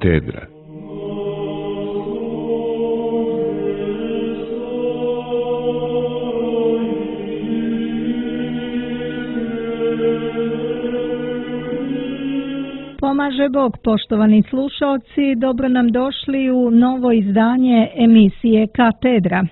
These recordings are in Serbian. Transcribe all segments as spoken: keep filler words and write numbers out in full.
Katedra. Pomaže Bog, poštovani slušalci, dobro nam došli u novo izdanje emisije Katedra.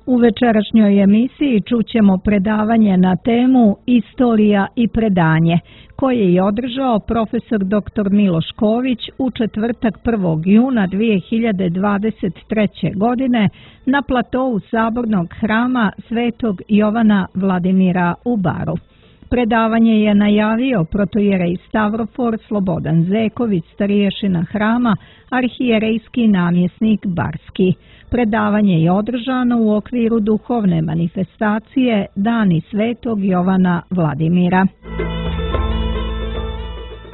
U večerašnjoj emisiji čućemo predavanje na temu Istorija i predanje, koje je održao profesor doktor Miloš Ković u četvrtak prvog juna dvije hiljade dvadeset treće. godine na platovu Sabornog hrama Svetog Jovana Vladimira u Baru. Predavanje je najavio protoijerej Stavrofor Slobodan Zeković, starješina hrama, arhijerejski namjesnik Barski. Predavanje je održano u okviru duhovne manifestacije Dani Svetog Jovana Vladimira.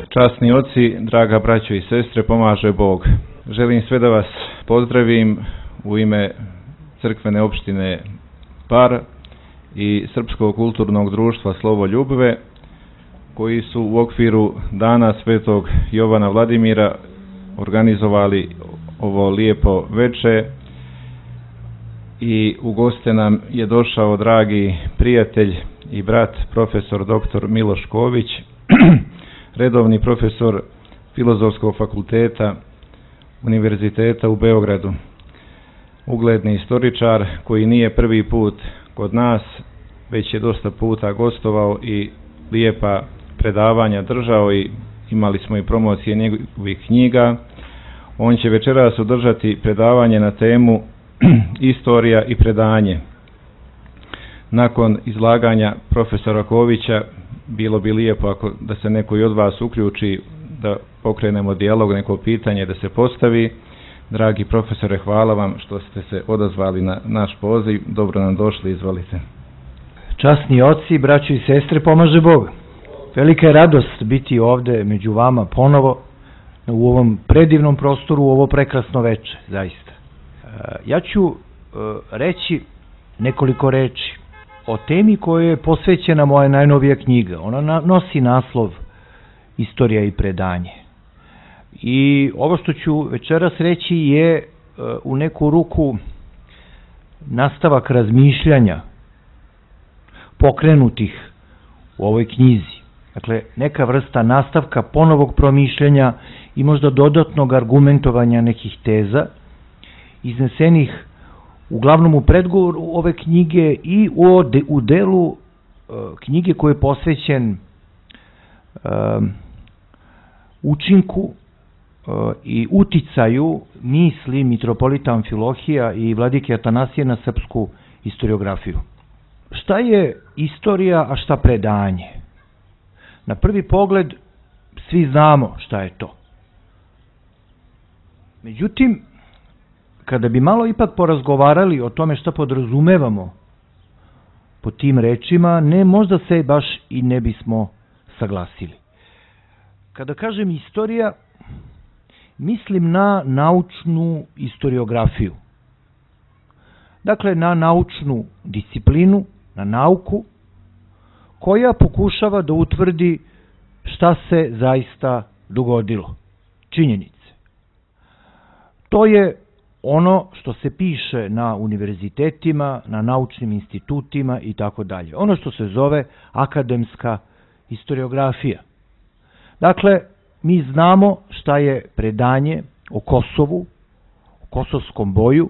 Časni oci, draga braćo i sestre, pomaže Bog. Želim sve da vas pozdravim u ime crkvene opštine Bar i Srpskog kulturnog društva Slovo Ljubve, koji su u okviru Dana Svetog Jovana Vladimira organizovali ovo lijepo veče i u goste nam je došao dragi prijatelj i brat profesor doktor Miloš Ković, redovni profesor Filozofskog fakulteta Univerziteta u Beogradu, ugledni istoričar koji nije prvi put kod nas, već je dosta puta gostovao i lijepa predavanja držao i imali smo i promocije njegovih knjiga. On će večeras održati predavanje na temu Istorija i predanje. Nakon izlaganja profesora Kovića bilo bi lijepo ako da se neko i od vas uključi, da pokrenemo dijalog, neko pitanje da se postavi. Dragi profesore, hvala vam što ste se odazvali na naš poziv. Dobro nam došli, izvolite. Časni oci, braćo i sestre, pomaže Bog. Velika je radost biti ovde među vama ponovo u ovom predivnom prostoru, u ovo prekrasno veče, zaista. Ja ću reći nekoliko reči o temi koja je posvećena moja najnovija knjiga. Ona nosi naslov Istorija i predanje. I ovo što ću večeras reći je u neku ruku nastavak razmišljanja pokrenutih u ovoj knjizi. Dakle, neka vrsta nastavka ponovog promišljanja i možda dodatnog argumentovanja nekih teza iznesenih uglavnom u predgovoru ove knjige i u, de, u delu uh, knjige koji je posvećen uh, učinku uh, i uticaju misli mitropolita Amfilohija i vladike Atanasije na srpsku historiografiju. Šta je istorija, a šta predanje? Na prvi pogled svi znamo šta je to. Međutim, kada bi malo ipak porazgovarali o tome šta podrazumevamo po tim rečima, ne, možda se baš i ne bismo saglasili. Kada kažem istorija, mislim na naučnu historiografiju. Dakle, na naučnu disciplinu, na nauku, koja pokušava da utvrdi šta se zaista dogodilo. Činjenice. To je ono što se piše na univerzitetima, na naučnim institutima i tako dalje. Ono što se zove akademska historiografija. Dakle, mi znamo šta je predanje o Kosovu, o kosovskom boju,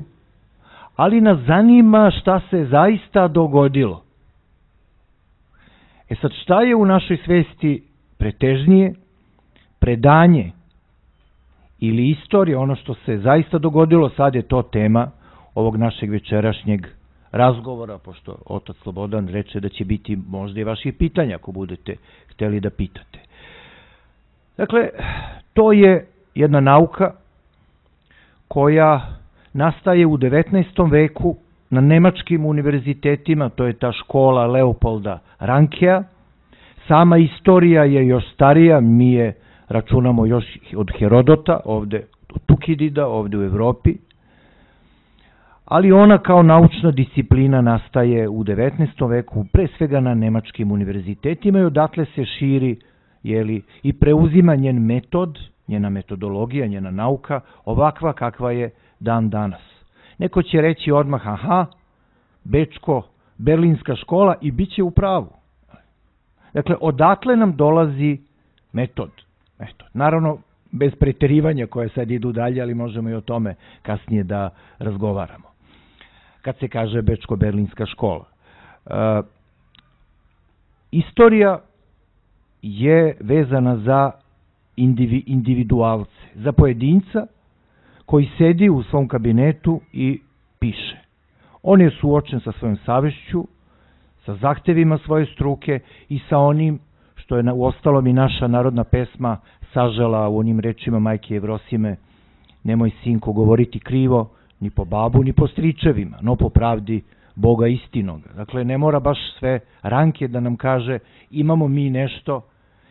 ali nas zanima šta se zaista dogodilo. E sad, šta je u našoj svesti pretežnije? Predanje ili istorija, ono što se zaista dogodilo, sad je to tema ovog našeg večerašnjeg razgovora, pošto otac Slobodan reče da će biti možda i vaših pitanja ako budete hteli da pitate. Dakle, to je jedna nauka koja nastaje u devetnaestom veku na nemačkim univerzitetima, to je ta škola Leopolda Rankea. Sama istorija je još starija, mi je računamo još od Herodota, ovde od Tukidida, ovde u Evropi, ali ona kao naučna disciplina nastaje u devetnaestom veku, pre svega na nemačkim univerzitetima i odatle se širi jeli, i preuzima njen metod, njena metodologija, njena nauka, ovakva kakva je dan danas. Neko će reći odmah, aha, Bečko, Berlinska škola i bit će u pravu. Dakle, odatle nam dolazi metod. metod. Naravno, bez preterivanja koje sad idu dalje, ali možemo i o tome kasnije da razgovaramo. Kad se kaže Bečko-Berlinska škola. E, istorija je vezana za indivi, individualce, za pojedinca koji sedi u svom kabinetu i piše. On je suočen sa svojom savešću, sa zahtevima svoje struke i sa onim što je u ostalom i naša narodna pesma sažela u onim rečima majke Jevrosime: nemoj, sinko, govoriti krivo ni po babu ni po stričevima, no po pravdi Boga istinoga. Dakle, ne mora baš sve ranke da nam kaže imamo mi nešto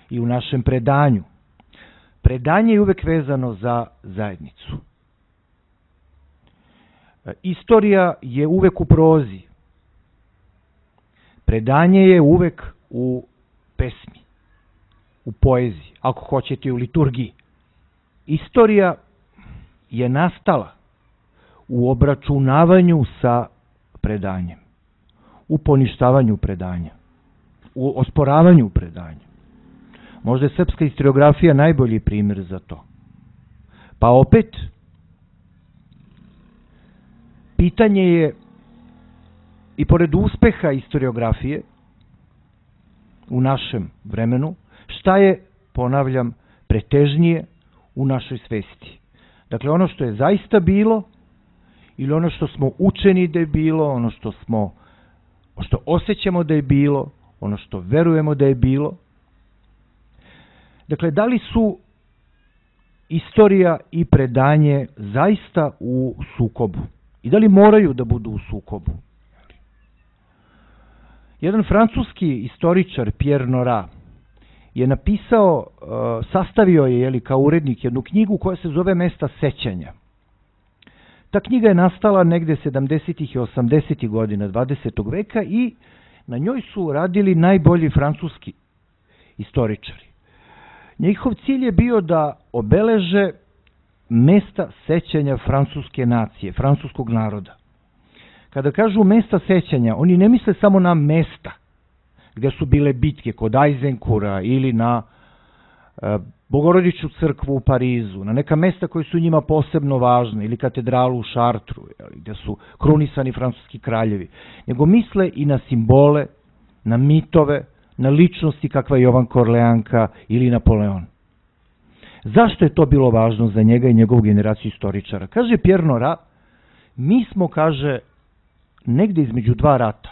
i u našem predanju. Predanje je uvek vezano za zajednicu. Istorija je uvek u prozi. Predanje je uvek u pesmi, u poeziji, ako hoćete u liturgiji. Istorija je nastala u obračunavanju sa predanjem, u poništavanju predanja, u osporavanju predanja. Možda je srpska historiografija najbolji primjer za to. Pa opet, pitanje je, i pored uspeha historiografije u našem vremenu, šta je, ponavljam, pretežnije u našoj svesti. Dakle, ono što je zaista bilo ili ono što smo učeni da je bilo, ono što smo, što osjećamo da je bilo, ono što verujemo da je bilo. Dakle, da li su istorija i predanje zaista u sukobu? I da li moraju da budu u sukobu? Jedan francuski istoričar, Pierre Nora, je napisao, sastavio je, jeli, kao urednik jednu knjigu koja se zove Mesta sećanja. Ta knjiga je nastala negde sedamdesetih i osamdesetih godina dvadesetog veka i na njoj su radili najbolji francuski istoričari. Njihov cilj je bio da obeleže mesta sećanja francuske nacije, francuskog naroda. Kada kažu mesta sećanja, oni ne misle samo na mesta gde su bile bitke kod Ajzenkura ili na e, Bogorodičnu crkvu u Parizu, na neka mesta koji su njima posebno važne, ili katedralu u Šartru, jeli, gde su krunisani francuski kraljevi, nego misle i na simbole, na mitove, na ličnosti kakva je Jovan Korleanka ili Napoleon. Zašto je to bilo važno za njega i njegovu generaciju istoričara? Kaže Pierre Nora, mi smo, kaže, negde između dva rata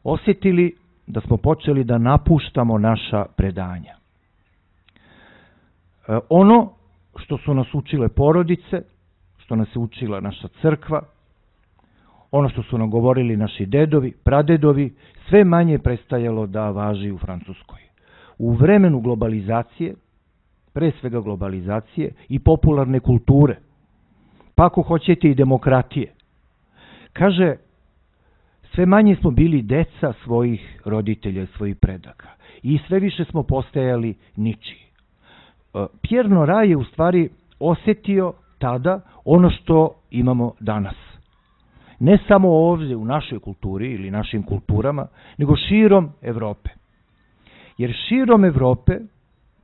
osjetili da smo počeli da napuštamo naša predanja. E, ono što su nas učile porodice, što nas je učila naša crkva, ono što su nam govorili naši dedovi, pradedovi, sve manje prestajalo da važi u Francuskoj. U vremenu globalizacije, pre svega globalizacije i popularne kulture, pa ako hoćete i demokratije, kaže, sve manje smo bili deca svojih roditelja, svojih predaka i sve više smo postajali ničiji. Pierre Nora je u stvari osjetio tada ono što imamo danas. Ne samo ovdje u našoj kulturi ili našim kulturama, nego širom Evrope. Jer širom Evrope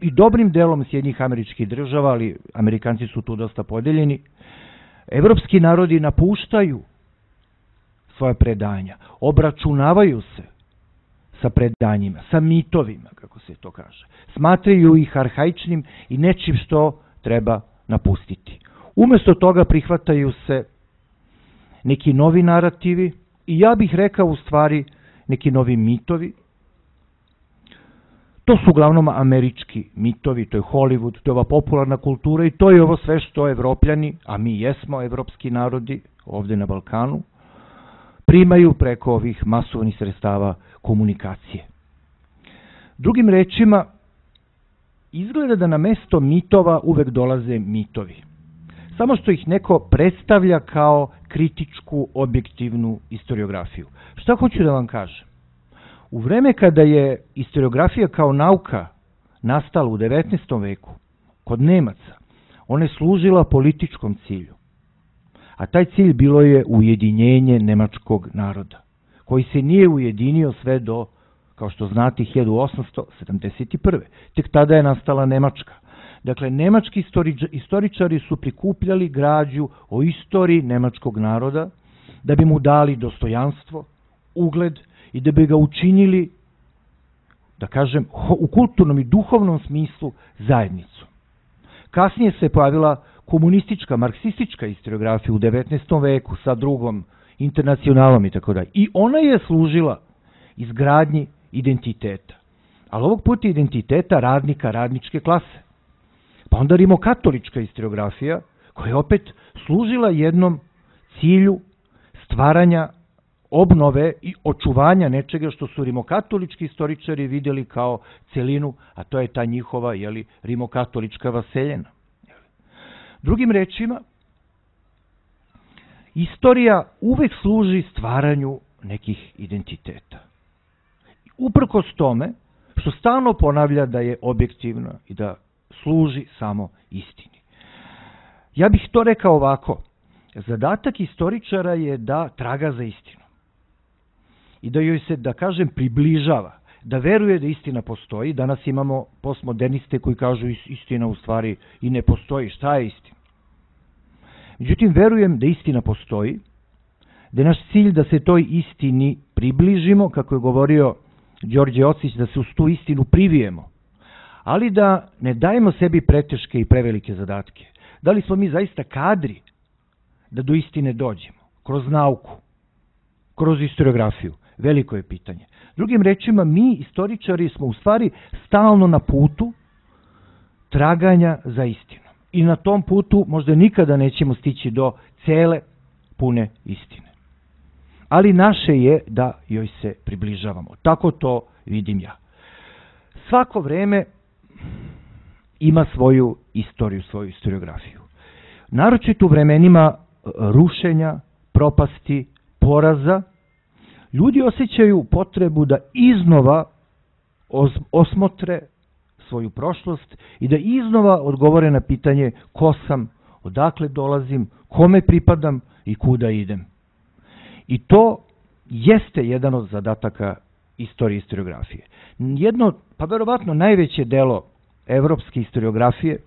i dobrim delom Sjedinjenih Američkih Država, ali Amerikanci su tu dosta podeljeni, evropski narodi napuštaju svoje predanja, obračunavaju se sa predanjima, sa mitovima, kako se to kaže. Smatraju ih arhaičnim i nečim što treba napustiti. Umesto toga prihvataju se neki novi narativi i ja bih rekao u stvari neki novi mitovi. To su uglavnom američki mitovi, to je Hollywood, to je ova popularna kultura i to je ovo sve što Evropljani, a mi jesmo evropski narodi ovdje na Balkanu, primaju preko ovih masovnih sredstava komunikacije. Drugim rečima, izgleda da na mesto mitova uvek dolaze mitovi. Samo što ih neko predstavlja kao kritičku, objektivnu historiografiju. Šta hoću da vam kažem? U vreme kada je historiografija kao nauka nastala u devetnaestom veku kod Nemaca, ona je služila političkom cilju. A taj cilj bilo je ujedinjenje nemačkog naroda, koji se nije ujedinio sve do, kao što znate, hiljadu osamsto sedamdeset prve. Tek tada je nastala Nemačka. Dakle, nemački istoričari su prikupljali građu o istoriji nemačkog naroda da bi mu dali dostojanstvo, ugled i da bi ga učinili, da kažem, u kulturnom i duhovnom smislu zajednicu. Kasnije se pojavila komunistička, marksistička istoriografija u devetnaestom veku sa drugom internacionalom i tako dalje. I ona je služila izgradnji identiteta. Ali ovog puta identiteta radnika, radničke klase. Pa onda rimokatolička istoriografija koja je opet služila jednom cilju stvaranja, obnove i očuvanja nečega što su rimokatolički istoričari vidjeli kao celinu, a to je ta njihova, jeli, rimokatolička vaseljena. Drugim rečima, istorija uvek služi stvaranju nekih identiteta. Uprkos tome što stalno ponavlja da je objektivna i da služi samo istini. Ja bih to rekao ovako. Zadatak istoričara je da traga za istinu. I da joj se, da kažem, približava, da veruje da istina postoji. Danas imamo postmoderniste koji kažu istina u stvari i ne postoji. Šta je istina? Međutim, verujem da istina postoji, da je naš cilj da se toj istini približimo, kako je govorio Đorđe Ocić, da se uz tu istinu privijemo, ali da ne dajemo sebi preteške i prevelike zadatke. Da li smo mi zaista kadri da do istine dođemo? Kroz nauku, kroz historiografiju? Veliko je pitanje. Drugim rečima, mi, istoričari, smo u stvari stalno na putu traganja za istinu. I na tom putu možda nikada nećemo stići do cele, pune istine. Ali naše je da joj se približavamo. Tako to vidim ja. Svako vreme ima svoju istoriju, svoju historiografiju. Naročito u vremenima rušenja, propasti, poraza, ljudi osjećaju potrebu da iznova osmotre svoju prošlost i da iznova odgovore na pitanje ko sam, odakle dolazim, kome pripadam i kuda idem. I to jeste jedan od zadataka istorije i historiografije. Jedno, pa verovatno najveće delo evropske historiografije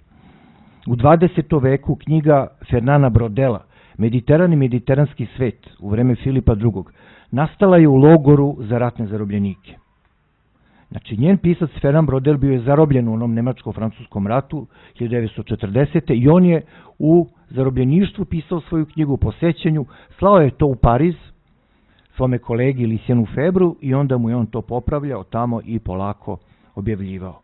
u dvadesetom veku, knjiga Fernana Brodela, Mediteran i mediteranski svet u vreme Filipa drugog, nastala je u logoru za ratne zarobljenike. Znači, njen pisac Fernand Brodel bio je zarobljen u onom nemačko-francuskom ratu hiljadu devetsto četrdesete. i on je u zarobljeništvu pisao svoju knjigu po sećanju, slao je to u Pariz svome kolegi Lucienu Febru i onda mu je on to popravljao tamo i polako objavljivao.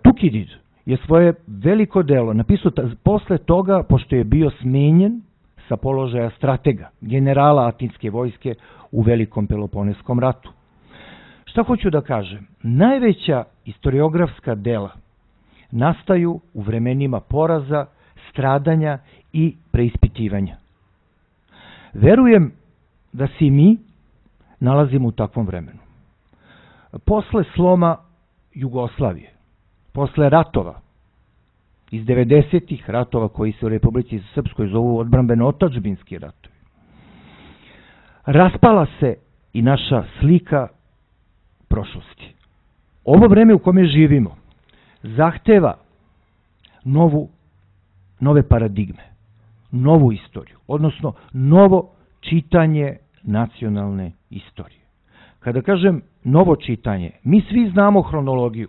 Tukidid je svoje veliko delo napisao posle toga, pošto je bio smenjen sa položaja stratega, generala atinske vojske u Velikom Peloponeskom ratu. Šta hoću da kažem? Najveća historiografska dela nastaju u vremenima poraza, stradanja i preispitivanja. Verujem da se i mi nalazimo u takvom vremenu. Posle sloma Jugoslavije, posle ratova, iz devedesetih ratova koji se u Republici Srpskoj zovu odbrambeno-otadžbinski ratovi, raspala se i naša slika prošlosti. Ovo vreme u kome živimo zahteva novu, nove paradigme, novu istoriju, odnosno novo čitanje nacionalne istorije. Kada kažem novo čitanje, mi svi znamo hronologiju.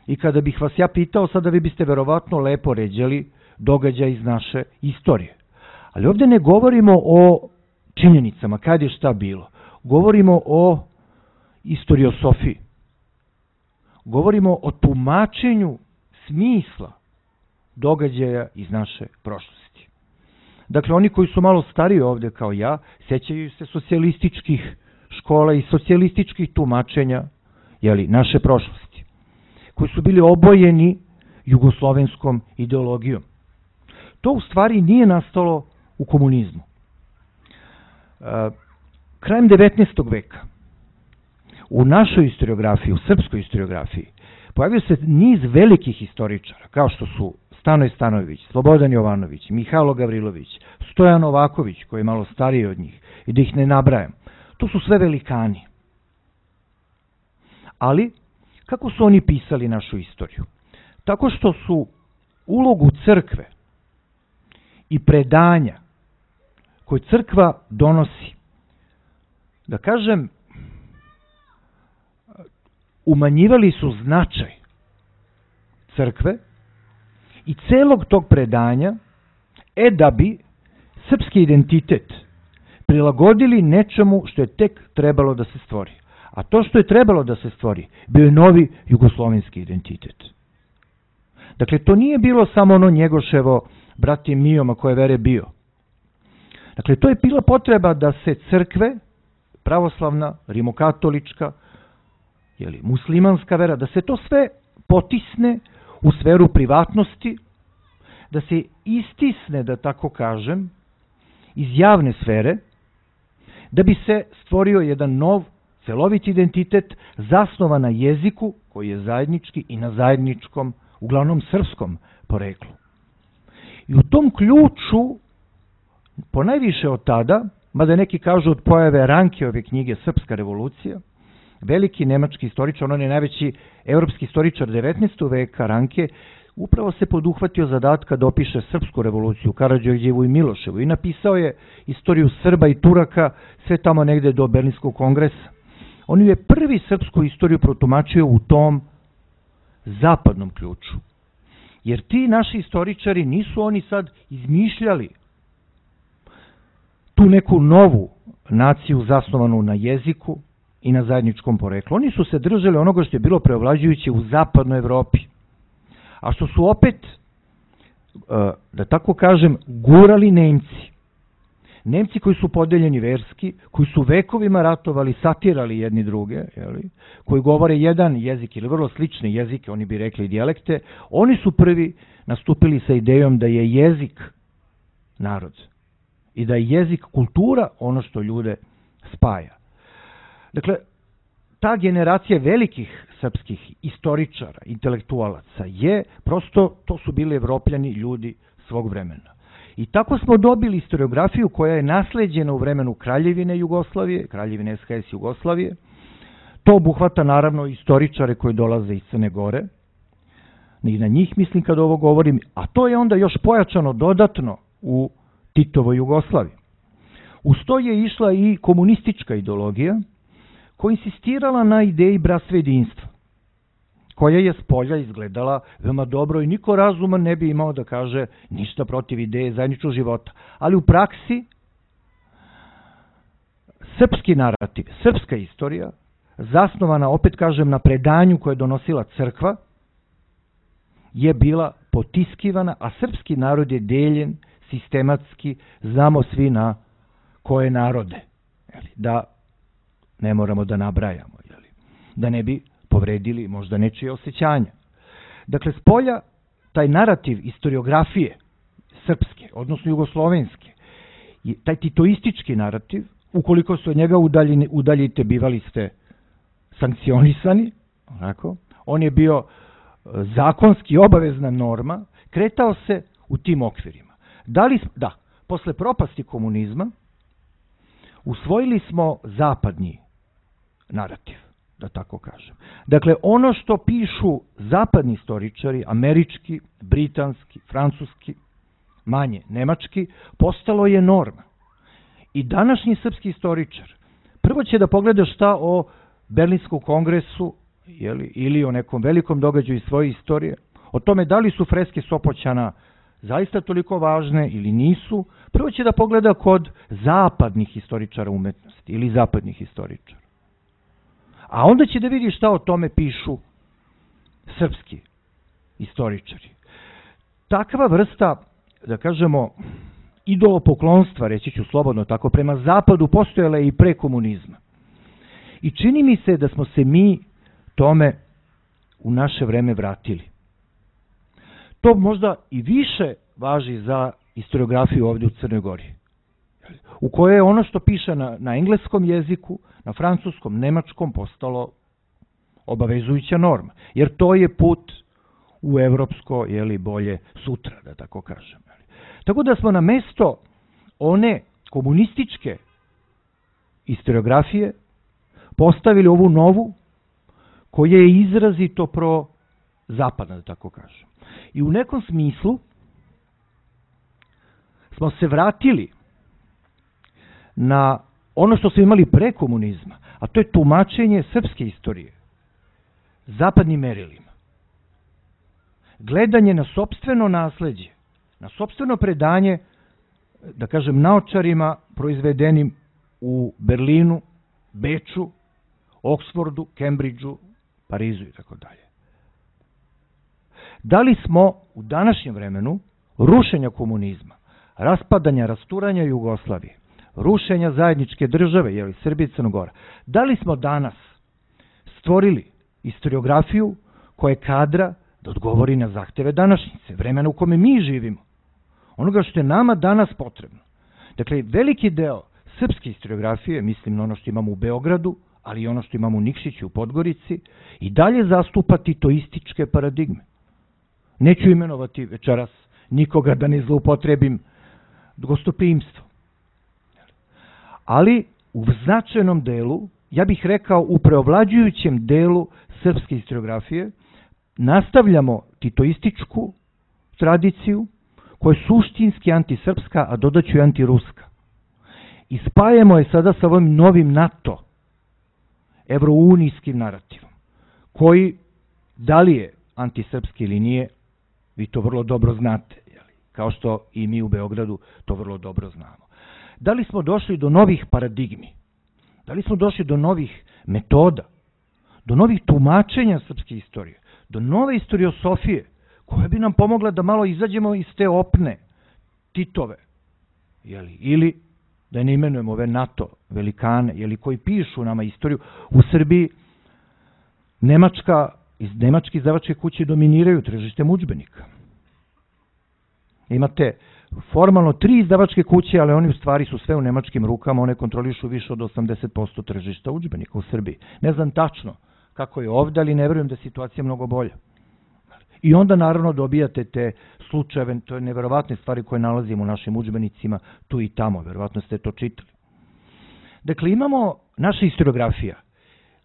I kada bih vas ja pitao, sada vi biste verovatno lepo ređali događaj iz naše istorije. Ali ovdje ne govorimo o činjenicama, kad je šta bilo. Govorimo o istoriosofiji. Govorimo o tumačenju smisla događaja iz naše prošlosti. Dakle, oni koji su malo stariji ovdje kao ja, sećaju se socijalističkih škola i socijalističkih tumačenja, jeli, naše prošlosti, koji su bili obojeni jugoslovenskom ideologijom. To u stvari nije nastalo u komunizmu. Krajem devetnaestog veka u našoj historiografiji, u srpskoj historiografiji, pojavio se niz velikih istoričara, kao što su Stanoj Stanojević, Slobodan Jovanović, Mihajlo Gavrilović, Stojan Novaković, koji je malo stariji od njih, i da ih ne nabrajam. To su sve velikani. Ali, kako su oni pisali našu istoriju? Tako što su ulogu crkve i predanja koje crkva donosi, da kažem, umanjivali su značaj crkve i celog tog predanja, e da bi srpski identitet prilagodili nečemu što je tek trebalo da se stvori. A to što je trebalo da se stvori bio je novi jugoslovenski identitet. Dakle, to nije bilo samo ono Njegoševo brati Mijoma koje vere bio. Dakle, to je bila potreba da se crkve, pravoslavna, rimokatolička, jeli, muslimanska vera, da se to sve potisne u sferu privatnosti, da se istisne, da tako kažem, iz javne sfere, da bi se stvorio jedan nov, celovit identitet zasnovan na jeziku koji je zajednički i na zajedničkom, uglavnom srpskom poreklu. I u tom ključu, ponajviše od tada, mada neki kažu od pojave Rankeove knjige Srpska revolucija, veliki nemački istoričar, on je najveći evropski istoričar devetnaestog veka, Ranke, upravo se poduhvatio zadatka da opiše Srpsku revoluciju, Karađorđevu i Miloševu, i napisao je istoriju Srba i Turaka sve tamo negde do Berlinskog kongresa. On je prvi srpsku istoriju protumačio u tom zapadnom ključu. Jer ti naši istoričari nisu oni sad izmišljali tu neku novu naciju zasnovanu na jeziku i na zajedničkom poreklu. Oni su se držali onoga što je bilo preovlađujuće u zapadnoj Evropi. A što su opet, da tako kažem, gurali Nemci. Nemci koji su podeljeni verski, koji su vekovima ratovali, satirali jedni druge, jeli, koji govore jedan jezik ili vrlo slične jezike, oni bi rekli dijalekte, oni su prvi nastupili sa idejom da je jezik narod i da je jezik kultura ono što ljude spaja. Dakle, ta generacija velikih srpskih istoričara, intelektualaca je, prosto, to su bili Evropljani ljudi svog vremena. I tako smo dobili historiografiju koja je nasleđena u vremenu Kraljevine Jugoslavije, Kraljevine S H S Jugoslavije. To obuhvata naravno istoričare koji dolaze iz Crne Gore. I na njih mislim kad ovo govorim, a to je onda još pojačano dodatno u Titovoj Jugoslaviji. Uz to je išla i komunistička ideologija koja insistirala na ideji bratstva i jedinstva, koja je s polja izgledala veoma dobro i niko razuman ne bi imao da kaže ništa protiv ideje zajedničkog života. Ali u praksi srpski narativ, srpska istorija, zasnovana, opet kažem, na predanju koje je donosila crkva, je bila potiskivana, a srpski narod je deljen sistematski, znamo svi na koje narode. Da ne moramo da nabrajamo, da ne bi povredili možda nečije osjećanja. Dakle, s polja taj narativ istoriografije srpske, odnosno jugoslovenske, taj titoistički narativ, ukoliko se od njega udaljite, udaljite, bivali ste sankcionisani, onako, on je bio zakonski obavezna norma, kretao se u tim okvirima. Da, li, da, posle propasti komunizma usvojili smo zapadni narativ, da tako kažem. Dakle, ono što pišu zapadni istoričari, američki, britanski, francuski, manje nemački, postalo je norma. I današnji srpski istoričar prvo će da pogleda šta o Berlinskom kongresu jeli, ili o nekom velikom događaju iz svoje istorije, o tome da li su freske Sopoćana zaista toliko važne ili nisu, prvo će da pogleda kod zapadnih istoričara umetnosti ili zapadnih istoričara. A onda će da vidi šta o tome pišu srpski istoričari. Takva vrsta, da kažemo, idolopoklonstva, reći ću slobodno tako, prema zapadu postojala je i pre komunizma. I čini mi se da smo se mi tome u naše vreme vratili. To možda i više važi za historiografiju ovdje u Crnoj Gori, u kojoj je ono što piše na, na engleskom jeziku, na francuskom, nemačkom postalo obavezujuća norma, jer to je put u evropsko, jeli, bolje sutra, da tako kažem. Tako da smo na mesto one komunističke historiografije postavili ovu novu, koja je izrazito pro-zapadna, da tako kažem. I u nekom smislu smo se vratili na ono što smo imali pre komunizma, a to je tumačenje srpske istorije zapadnim merilima. Gledanje na sopstveno nasleđe, na sopstveno predanje, da kažem, naočarima proizvedenim u Berlinu, Beču, Oksfordu, Kembridžu, Parizu i tako dalje. Da li smo u današnjem vremenu rušenja komunizma, raspadanja, rasturanja Jugoslavije, rušenja zajedničke države, jeli Srbije i Crnogora, da li smo danas stvorili historiografiju koja je kadra da odgovori na zahteve današnjice, vremena u kome mi živimo, onoga što je nama danas potrebno. Dakle, veliki deo srpske historiografije, mislim na ono što imamo u Beogradu, ali i ono što imamo u Nikšiću, u Podgorici, i dalje zastupa titoističke paradigme. Neću imenovati večeras nikoga da ne zloupotrebim gostoprimstvo. Ali u značajnom delu, ja bih rekao u preovlađujućem delu srpske historiografije, nastavljamo titoističku tradiciju koja je suštinski antisrpska, a dodaću i antiruska. I spajamo je sada sa ovim novim NATO, evrounijskim narativom, koji, da li je antisrpski ili nije, vi to vrlo dobro znate, jeli? Kao što i mi u Beogradu to vrlo dobro znamo. Da li smo došli do novih paradigmi? Da li smo došli do novih metoda? Do novih tumačenja srpske istorije? Do nove istoriosofije koja bi nam pomogla da malo izađemo iz te opne Titove? Jeli? Ili da ne imenujemo ove NATO velikane, jeli, koji pišu nama istoriju. U Srbiji Nemačka, iz nemačke izdavačke kuće dominiraju tržištem udžbenika. Imate formalno tri izdavačke kuće, ali oni u stvari su sve u nemačkim rukama, one kontrolišu više od osamdeset posto tržišta udžbenika u Srbiji. Ne znam tačno kako je ovde, ali ne verujem da je situacija mnogo bolja. I onda naravno dobijate te slučajeve, to je neverovatne stvari koje nalazimo u našim udžbenicima tu i tamo, verovatno ste to čitali. Dakle, imamo, naša historiografija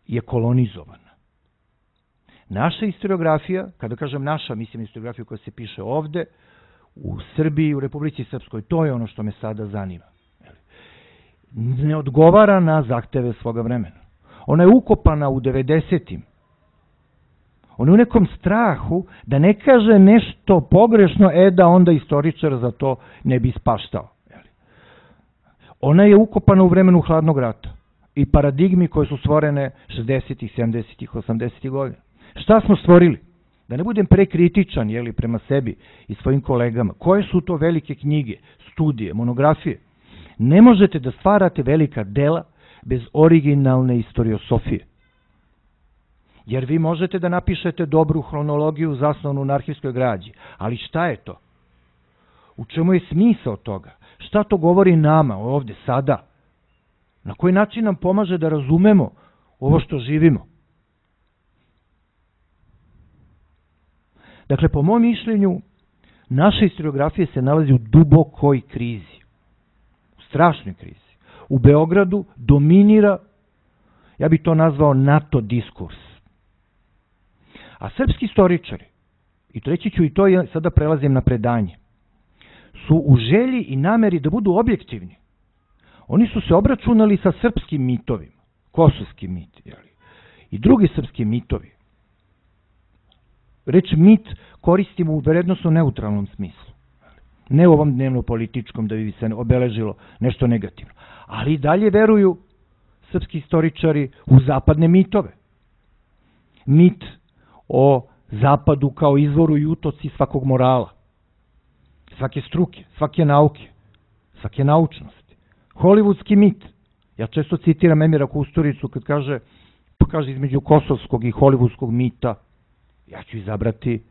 je kolonizovana. Naša historiografija, kada kažem naša, mislim historiografiju koja se piše ovde, u Srbiji, u Republici Srpskoj, to je ono što me sada zanima. Ne odgovara na zahteve svoga vremena. Ona je ukopana u devedesetim. Ona je u nekom strahu da ne kaže nešto pogrešno, e da onda istoričar za to ne bi spaštao. Ona je ukopana u vremenu hladnog rata i paradigmi koje su stvorene šezdesetih, sedamdesetih, osamdesetih godina. Šta smo stvorili? Da ne budem prekritičan, jeli, prema sebi i svojim kolegama. Koje su to velike knjige, studije, monografije? Ne možete da stvarate velika dela bez originalne istoriosofije. Jer vi možete da napišete dobru hronologiju zasnovanu na arhivskoj građi. Ali šta je to? U čemu je smisao toga? Šta to govori nama ovde, sada? Na koji način nam pomaže da razumemo ovo što živimo? Dakle, po mom mišljenju, naša historiografija se nalazi u dubokoj krizi. U strašnoj krizi. U Beogradu dominira, ja bih to nazvao NATO diskurs. A srpski istoričari, i treći ću i to, ja sada prelazim na predanje, su u želji i nameri da budu objektivni. Oni su se obračunali sa srpskim mitovima, kosovski mit, jeli, i drugi srpski mitovi. Reč mit koristimo u vrednosno neutralnom smislu. Ne u ovom dnevno-političkom da bi se obeležilo nešto negativno. Ali i dalje veruju srpski istoričari u zapadne mitove. Mit o zapadu kao izvoru i utoci svakog morala, svake struke, svake nauke, svake naučnosti. Hollywoodski mit. Ja često citiram Emira Kusturicu kad kaže, pa kaže između kosovskog i hollywoodskog mita, ja ću izabrati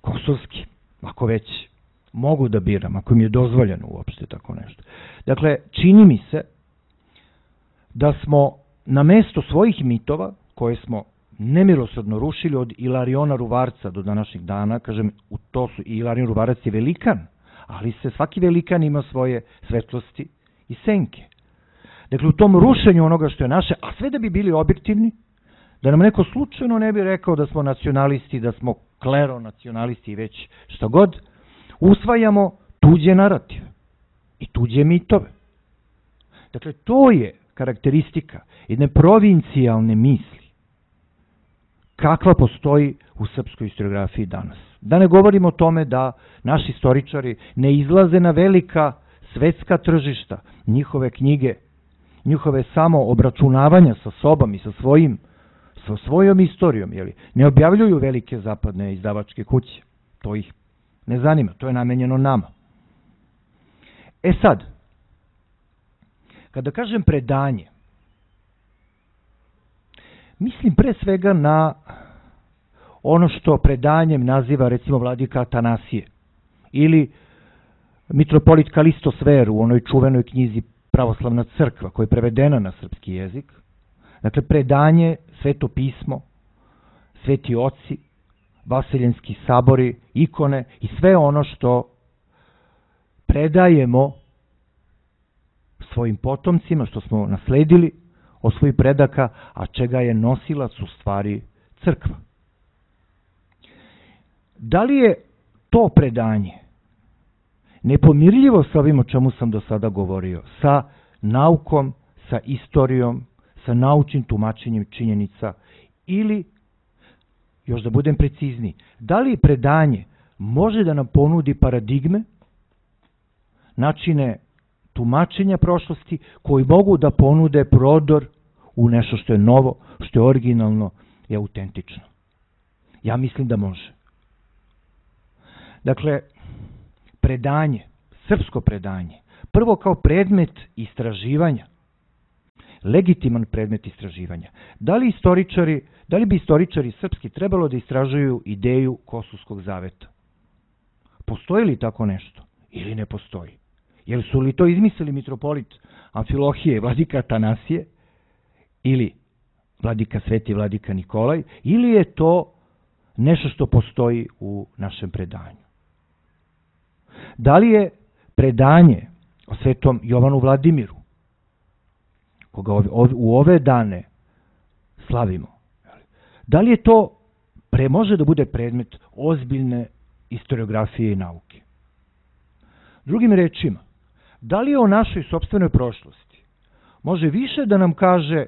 kosovski, ako već mogu da biram, ako mi je dozvoljeno uopšte tako nešto. Dakle, čini mi se da smo na mesto svojih mitova, koje smo nemilosrdno rušili od Ilariona Ruvarca do današnjeg dana. Kažem, u to su, i Ilarion Ruvarac je velikan, ali se svaki velikan ima svoje svetlosti i senke. Dakle, u tom rušenju onoga što je naše, a sve da bi bili objektivni, da nam neko slučajno ne bi rekao da smo nacionalisti, da smo kleronacionalisti i već šta god, usvajamo tuđe narative i tuđe mitove. Dakle, to je karakteristika jedne provincijalne misli kakva postoji u srpskoj historiografiji danas. Da ne govorimo o tome da naši istoričari ne izlaze na velika svetska tržišta, njihove knjige, njihove samo obračunavanja sa sobom i sa svojim, sa svojom istorijom, jeli, ne objavljuju velike zapadne izdavačke kuće. To ih ne zanima, to je namenjeno nama. E sad, kada kažem predanje, mislim pre svega na ono što predanjem naziva recimo vladika Atanasije ili mitropolit Kalisto Sver u onoj čuvenoj knjizi Pravoslavna crkva koja je prevedena na srpski jezik. Dakle, predanje, sveto pismo, sveti oci, vaseljenski sabori, ikone i sve ono što predajemo svojim potomcima, što smo nasledili od svojih predaka, a čega je nosilac u stvari crkva. Da li je to predanje nepomirljivo sa ovim o čemu sam do sada govorio, sa naukom, sa istorijom, sa naučnim tumačenjem činjenica, ili, još da budem precizniji, da li predanje može da nam ponudi paradigme, načine tumačenja prošlosti koji mogu da ponude prodor u nešto što je novo, što je originalno i autentično? Ja mislim da može. Dakle, predanje, srpsko predanje, prvo kao predmet istraživanja, legitiman predmet istraživanja. Da li istoričari, da li bi istoričari srpski trebalo da istražuju ideju Kosovskog zaveta? Postoji li tako nešto ili ne postoji? Jer su li to izmislili mitropolit Amfilohije i vladika Atanasije ili vladika Sveti vladika Nikolaj, ili je to nešto što postoji u našem predanju? Da li je predanje o svetom Jovanu Vladimiru, koga u ove dane slavimo, da li je to pre, može da bude predmet ozbiljne historiografije i nauke? Drugim rečima, da li je o našoj sopstvenoj prošlosti može više da nam kaže,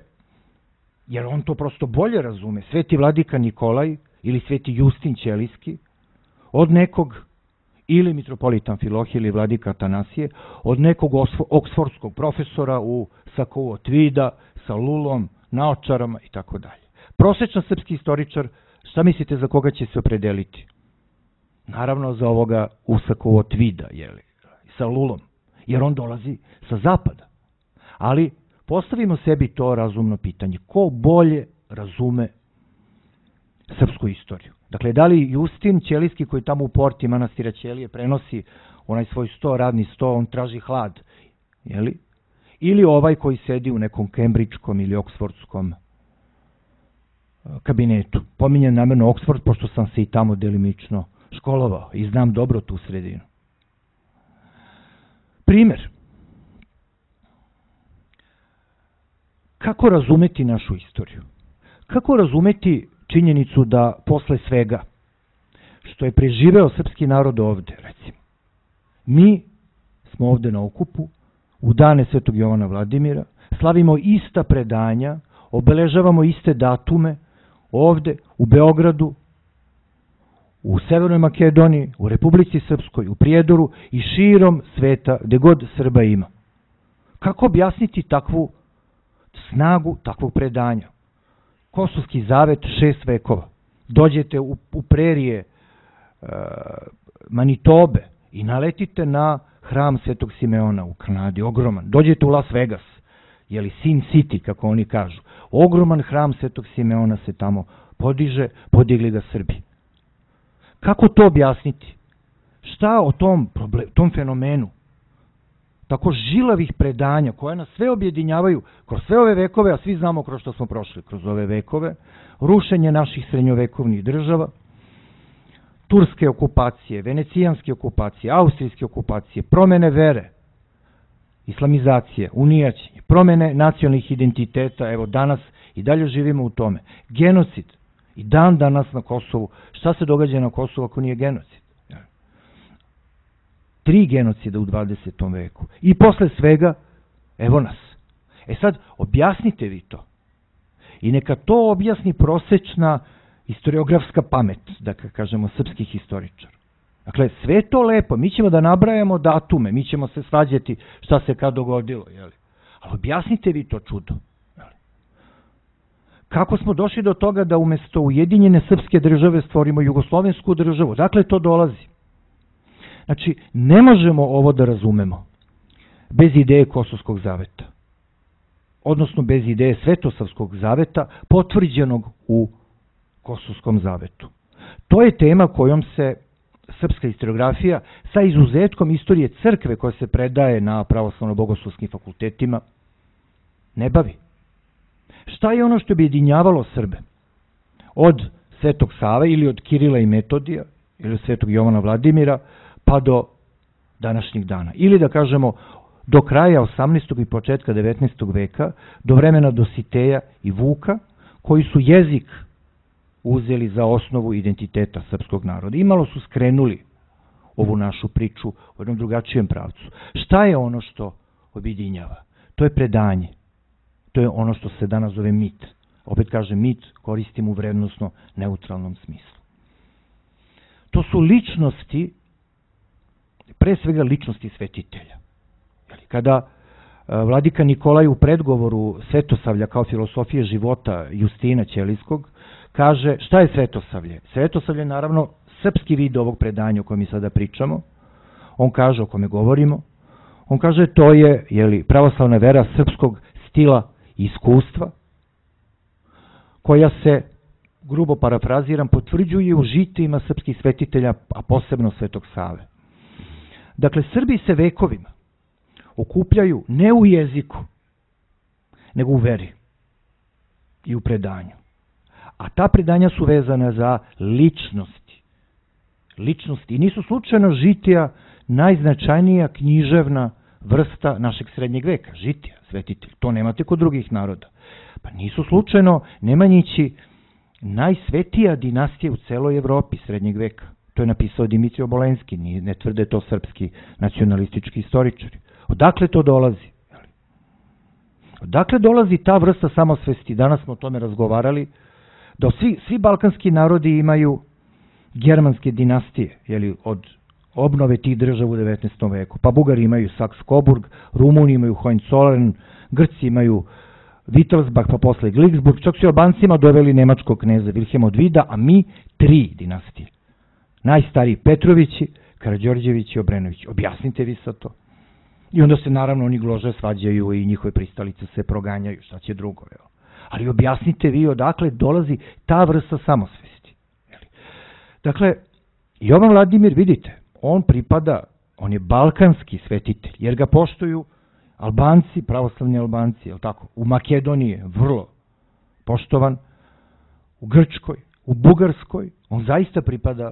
jer on to prosto bolje razume, sveti vladika Nikolaj ili sveti Justin Ćelijski, od nekog, ili mitropolit Amfilohije ili vladika Atanasije, od nekog oksfordskog profesora u sakou od tvida, sa lulom, naočarama i tako dalje. Prosečan srpski istoričar, šta mislite za koga će se opredeliti? Naravno za ovoga u sakou od tvida, jeli, sa lulom, jer on dolazi sa zapada. Ali postavimo sebi to razumno pitanje. Ko bolje razume srpsku istoriju? Dakle, da li Justin Ćelijski koji tamo u porti manastira Ćelije prenosi onaj svoj sto, radni sto, on traži hlad, jeli? Ili ovaj koji sedi u nekom kembridžkom ili oksfordskom kabinetu. Pominjem namerno Oksford, pošto sam se i tamo delimično školovao i znam dobro tu sredinu. Primer. Kako razumeti našu istoriju? Kako razumeti činjenicu da posle svega što je preživeo srpski narod ovde, recimo, mi smo ovde na okupu, u dane svetog Jovana Vladimira, slavimo ista predanja, obeležavamo iste datume ovde, u Beogradu, u Severnoj Makedoniji, u Republici Srpskoj, u Prijedoru i širom sveta, gde god Srba ima. Kako objasniti takvu snagu takvog predanja? Kosovski zavet šest vekova. Dođete u, u prerije e, Manitobe i naletite na hram Svetog Simeona u Kanadi, ogroman. Dođete u Las Vegas, jeli Sin City, kako oni kažu. Ogroman hram Svetog Simeona se tamo podiže, podigli ga Srbi. Kako to objasniti? Šta o tom, problem, tom fenomenu tako žilavih predanja koja nas sve objedinjavaju kroz sve ove vekove, a svi znamo kroz što smo prošli kroz ove vekove, rušenje naših srednjovekovnih država, turske okupacije, venecijanske okupacije, austrijske okupacije, promene vere, islamizacije, unijaćenje, promene nacionalnih identiteta, evo danas i dalje živimo u tome, genocid, i dan danas na Kosovu. Šta se događa na Kosovu ako nije genocid? Tri genocida u dvadesetom veku. I posle svega, evo nas. E sad, objasnite vi to. I neka to objasni prosečna historiografska pamet, da kažemo srpskih historičara. Dakle, sve to lepo. Mi ćemo da nabrajamo datume, mi ćemo se svađati šta se kad dogodilo. Jeli? Ali objasnite vi to čudo. Kako smo došli do toga da umesto Ujedinjene srpske države stvorimo jugoslovensku državu? Dakle, to dolazi. Znači, ne možemo ovo da razumemo bez ideje Kosovskog zaveta. Odnosno, bez ideje Svetosavskog zaveta potvrđenog u Kosovskom zavetu. To je tema kojom se srpska historiografija sa izuzetkom istorije crkve koja se predaje na pravoslavno-bogoslovskim fakultetima ne bavi. Šta je ono što bi objedinjavalo Srbe? Od Svetog Save ili od Kirila i Metodija ili od Svetog Jovana Vladimira pa do današnjih dana. Ili da kažemo do kraja osamnaestog i početka devetnaestog veka, do vremena Dositeja i Vuka, koji su jezik uzeli za osnovu identiteta srpskog naroda. Imalo su skrenuli ovu našu priču u jednom drugačijem pravcu. Šta je ono što objedinjava? To je predanje. To je ono što se danas zove mit. Opet kažem, mit koristim u vrednosno neutralnom smislu. To su ličnosti, pre svega ličnosti svetitelja. Kada vladika Nikolaj u predgovoru Svetosavlja kao filosofije života Justina Ćelijskog kaže šta je Svetosavlje? Svetosavlje je naravno srpski vid ovog predanja o kojem mi sada pričamo. On kaže, o kome govorimo, on kaže to je jeli, pravoslavna vera srpskog stila i iskustva koja se, grubo parafraziram, potvrđuje u žitijima srpskih svetitelja, a posebno Svetog Save. Dakle, Srbi se vekovima okupljaju ne u jeziku, nego u veri i u predanju. A ta predanja su vezana za ličnosti. Ličnosti. I nisu slučajno žitija najznačajnija književna vrsta našeg srednjeg veka. Žitija, svetitelj. To nemate kod drugih naroda. Pa nisu slučajno Nemanjići najsvetija dinastija u celoj Evropi srednjeg veka. To je napisao Dimitrije Obolenski, ne tvrde to srpski nacionalistički istoričari. Odakle to dolazi? Odakle dolazi ta vrsta samosvesti? Danas smo o tome razgovarali, da svi, svi balkanski narodi imaju germanske dinastije, jeli, od obnove tih država u devetnaestom veku. Pa Bugari imaju Saks-Coburg, Rumuni imaju Hohenzollern, Grci imaju Wittelsbach, pa posle Glücksburg, čak su Albancima doveli nemačkog kneza Wilhelma od Vida, a mi tri dinastije. Najstariji Petrovići, Karađorđevići i Obrenovići. Objasnite vi sad to. I onda se naravno oni glože svađaju i njihove pristalice se proganjaju, šta će drugo. Jel? Ali objasnite vi odakle dolazi ta vrsta samosvesti. Jel? Dakle, Jovan Vladimir, vidite, on pripada, on je balkanski svetitelj, jer ga poštuju Albanci, pravoslavni Albanci, jel tako? U Makedoniji je vrlo poštovan, u Grčkoj, u Bugarskoj, on zaista pripada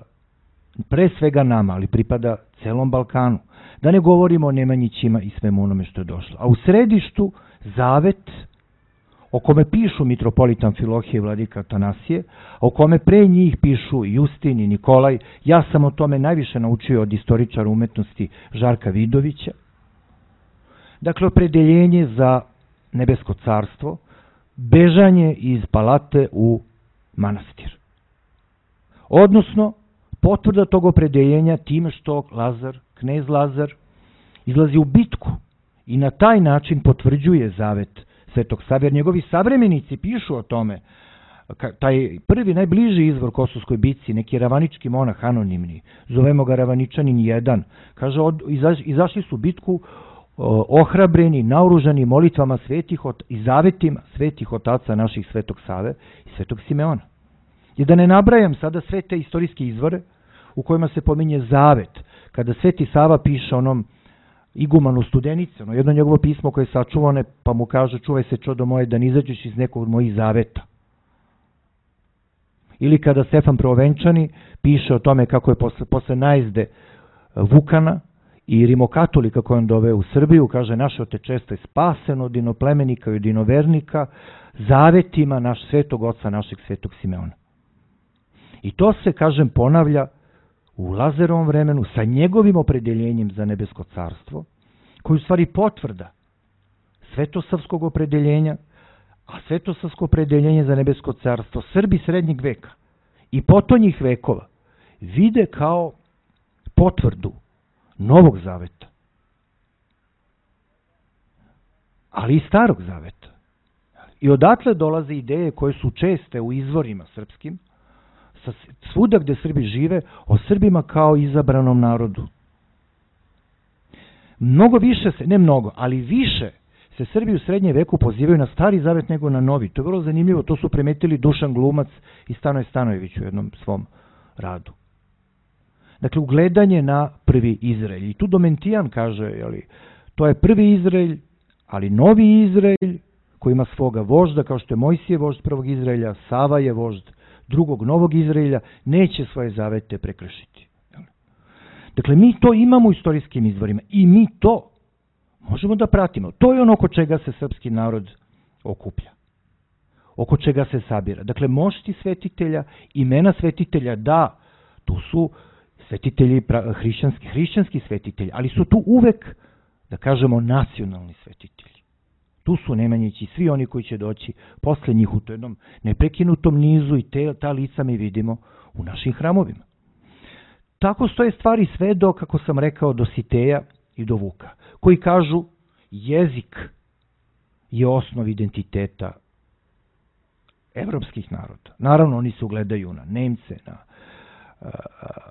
pre svega nama, ali pripada celom Balkanu. Da ne govorimo o Nemanjićima i svemu onome što je došlo. A u središtu zavet o kome pišu mitropolit Amfilohije i vladika Atanasije, o kome pre njih pišu Justin i Nikolaj. Ja sam o tome najviše naučio od istoričara umetnosti Žarka Vidovića. Dakle, opredeljenje za nebesko carstvo, bežanje iz palate u manastir. Odnosno, potvrda tog opredeljenja time što Lazar, knez Lazar, izlazi u bitku i na taj način potvrđuje zavet Svetog Save, jer njegovi savremenici pišu o tome. Taj prvi, najbliži izvor Kosovskoj bitci, neki ravanički monah anonimni, zovemo ga Ravaničanin jedan, kaže, od, izaš, izašli su u bitku o, ohrabreni, naoružani molitvama svetih i zavetima svetih otaca naših Svetog Save i Svetog Simeona. I da ne nabrajam sada sve te istorijske izvore u kojima se pominje zavet, kada Sveti Sava piše onom igumanu Studenice, ono jedno njegovo pismo koje je sačuvane, pa mu kaže čuvaj se čodo moje da ne izađeš iz nekog od mojih zaveta. Ili kada Stefan Prvovenčani piše o tome kako je posle, posle najezde Vukana i rimokatolika koje on doveo u Srbiju, kaže naše otečestvo je spaseno od inoplemenika i od inovernika zavetima naš svetog oca, našeg svetog Simeona. I to se, kažem, ponavlja u Lazarovom vremenu sa njegovim opredeljenjem za nebesko carstvo, koji u stvari potvrda svetosavskog opredeljenja, a svetosavsko opredeljenje za nebesko carstvo Srbi srednjeg veka i potonjih vekova vide kao potvrdu Novog zaveta, ali i Starog zaveta. I odatle dolaze ideje koje su česte u izvorima srpskim, svuda gde Srbi žive, o Srbima kao izabranom narodu. Mnogo više se, ne mnogo, ali više se Srbi u srednjem veku pozivaju na Stari zavet nego na Novi. To je vrlo zanimljivo, to su primetili Dušan Glumac i Stanoje Stanojević u jednom svom radu. Dakle, ugledanje na prvi Izraelj. I tu Domentijan kaže, jeli, to je prvi Izraelj, ali novi Izraelj koji ima svoga vožda, kao što je Mojsije vožd prvog Izraelja, Sava je vožd drugog novog Izraelja, neće svoje zavete prekršiti. Dakle, mi to imamo u istorijskim izvorima i mi to možemo da pratimo. To je ono oko čega se srpski narod okuplja, oko čega se sabira. Dakle, mošti svetitelja, imena svetitelja, da, tu su svetitelji, hrišćanski, hrišćanski svetitelji, ali su tu uvek, da kažemo, nacionalni svetitelji. Tu su Nemanjići, svi oni koji će doći posle njih u jednom neprekinutom nizu i te, ta lica mi vidimo u našim hramovima. Tako stoje stvari sve do, kako sam rekao, do Siteja i do Vuka, koji kažu jezik je osnov identiteta evropskih naroda. Naravno, oni se ugledaju na Nemce, na uh,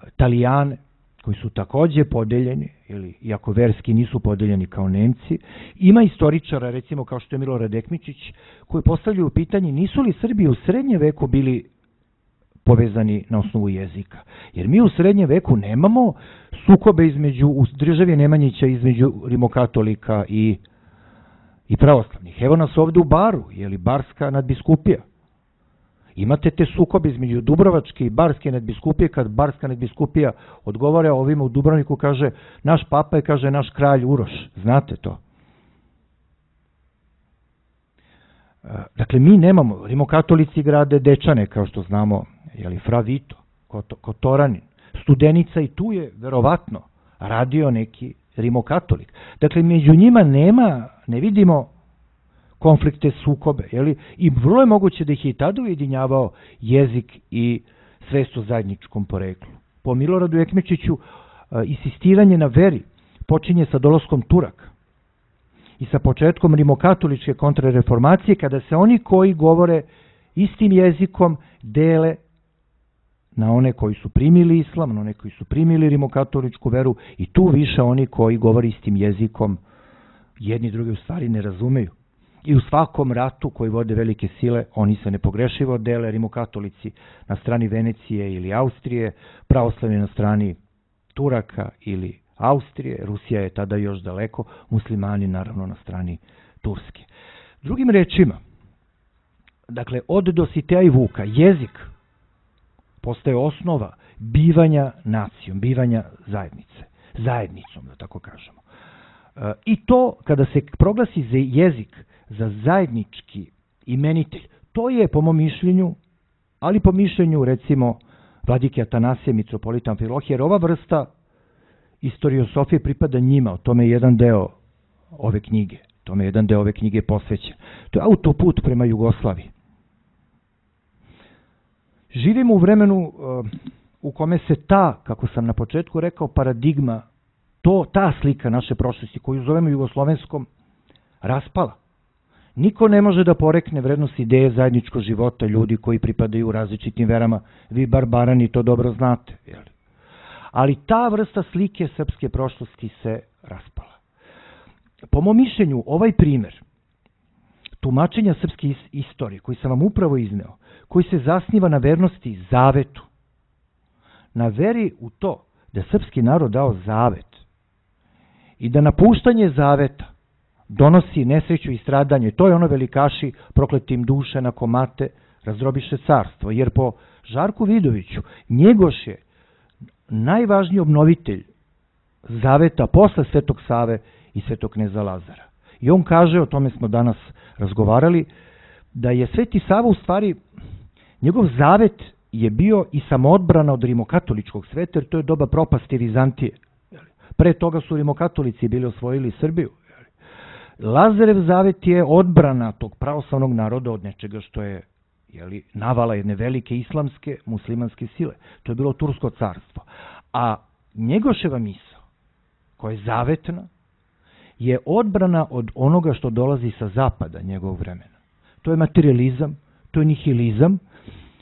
Italijane, koji su takođe podeljeni, ili iako verski nisu podeljeni kao Nemci. Ima istoričara, recimo kao što je Milorad Ekmičić, koji postavljaju pitanje nisu li Srbi u srednjem veku bili povezani na osnovu jezika. Jer mi u srednjem veku nemamo sukobe između, u državi Nemanjića između rimokatolika i, i pravoslavnih. Evo nas ovde u Baru, je li Barska nadbiskupija. Imate te sukobe između Dubrovačke i Barske nadbiskupije, kad Barska nadbiskupija odgovara ovima u Dubrovniku, kaže naš papa je, kaže, naš kralj Uroš. Znate to? Dakle, mi nemamo, rimokatolici grade Dečane, kao što znamo, jeli, Fra Vito, Kotoranin, Studenica, i tu je verovatno radio neki rimokatolik. Dakle, među njima nema, ne vidimo konflikte, sukobe, jeli? I vrlo je moguće da ih je i tada ujedinjavao jezik i svest o zajedničkom poreklu. Po Miloradu Ekmečiću insistiranje na veri počinje sa dolaskom Turaka i sa početkom rimokatoličke kontrareformacije, kada se oni koji govore istim jezikom dele na one koji su primili islam, na one koji su primili rimokatoličku veru, i tu više oni koji govore istim jezikom jedni drugi u stvari ne razumeju. I u svakom ratu koji vode velike sile, oni se nepogrešivo dele, rimokatolici na strani Venecije ili Austrije, pravoslavni na strani Turaka ili Austrije, Rusija je tada još daleko, muslimani naravno na strani Turske. Drugim rečima, dakle, od Dositeja i Vuka, jezik postaje osnova bivanja nacijom, bivanja zajednice, zajednicom, da tako kažemo. I to, kada se proglasi za jezik za zajednički imenitelj, to je, po mom mišljenju, ali po mišljenju, recimo, vladike Atanasija, mitropolita Amfilohija, jer ova vrsta istoriosofije pripada njima, o tome je jedan deo ove knjige, tome je jedan deo ove knjige posvećen. To je autoput prema Jugoslaviji. Živimo u vremenu u kome se ta, kako sam na početku rekao, paradigma, to, ta slika naše prošlosti, koju zovemo jugoslovenskom, raspala. Niko ne može da porekne vrednost ideje zajedničkog života ljudi koji pripadaju različitim verama. Vi barbarani to dobro znate. Jeli? Ali ta vrsta slike srpske prošlosti se raspala. Po mom mišljenju, ovaj primer tumačenja srpske istorije, koji sam vam upravo izneo, koji se zasniva na vernosti zavetu, na veri u to da srpski narod dao zavet, i da napuštanje zaveta donosi nesreću i stradanje. To je ono velikaši prokletim duše na komate razdrobiše carstvo, jer po Žarku Vidoviću Njegoš je najvažniji obnovitelj zaveta posle Svetog Save i Svetog kneza Lazara. I on kaže, o tome smo danas razgovarali, da je Sveti Sava u stvari, njegov zavet je bio i samoodbrana od rimokatoličkog sveta, jer to je doba propasti Vizantije. Pre toga su rimokatolici bili osvojili Srbiju. Lazarev zavet je odbrana tog pravoslavnog naroda od nečega što je jeli, navala jedne velike islamske, muslimanske sile. To je bilo Tursko carstvo. A Njegoševa misao, koja je zavetna, je odbrana od onoga što dolazi sa zapada njegovog vremena. To je materializam, to je nihilizam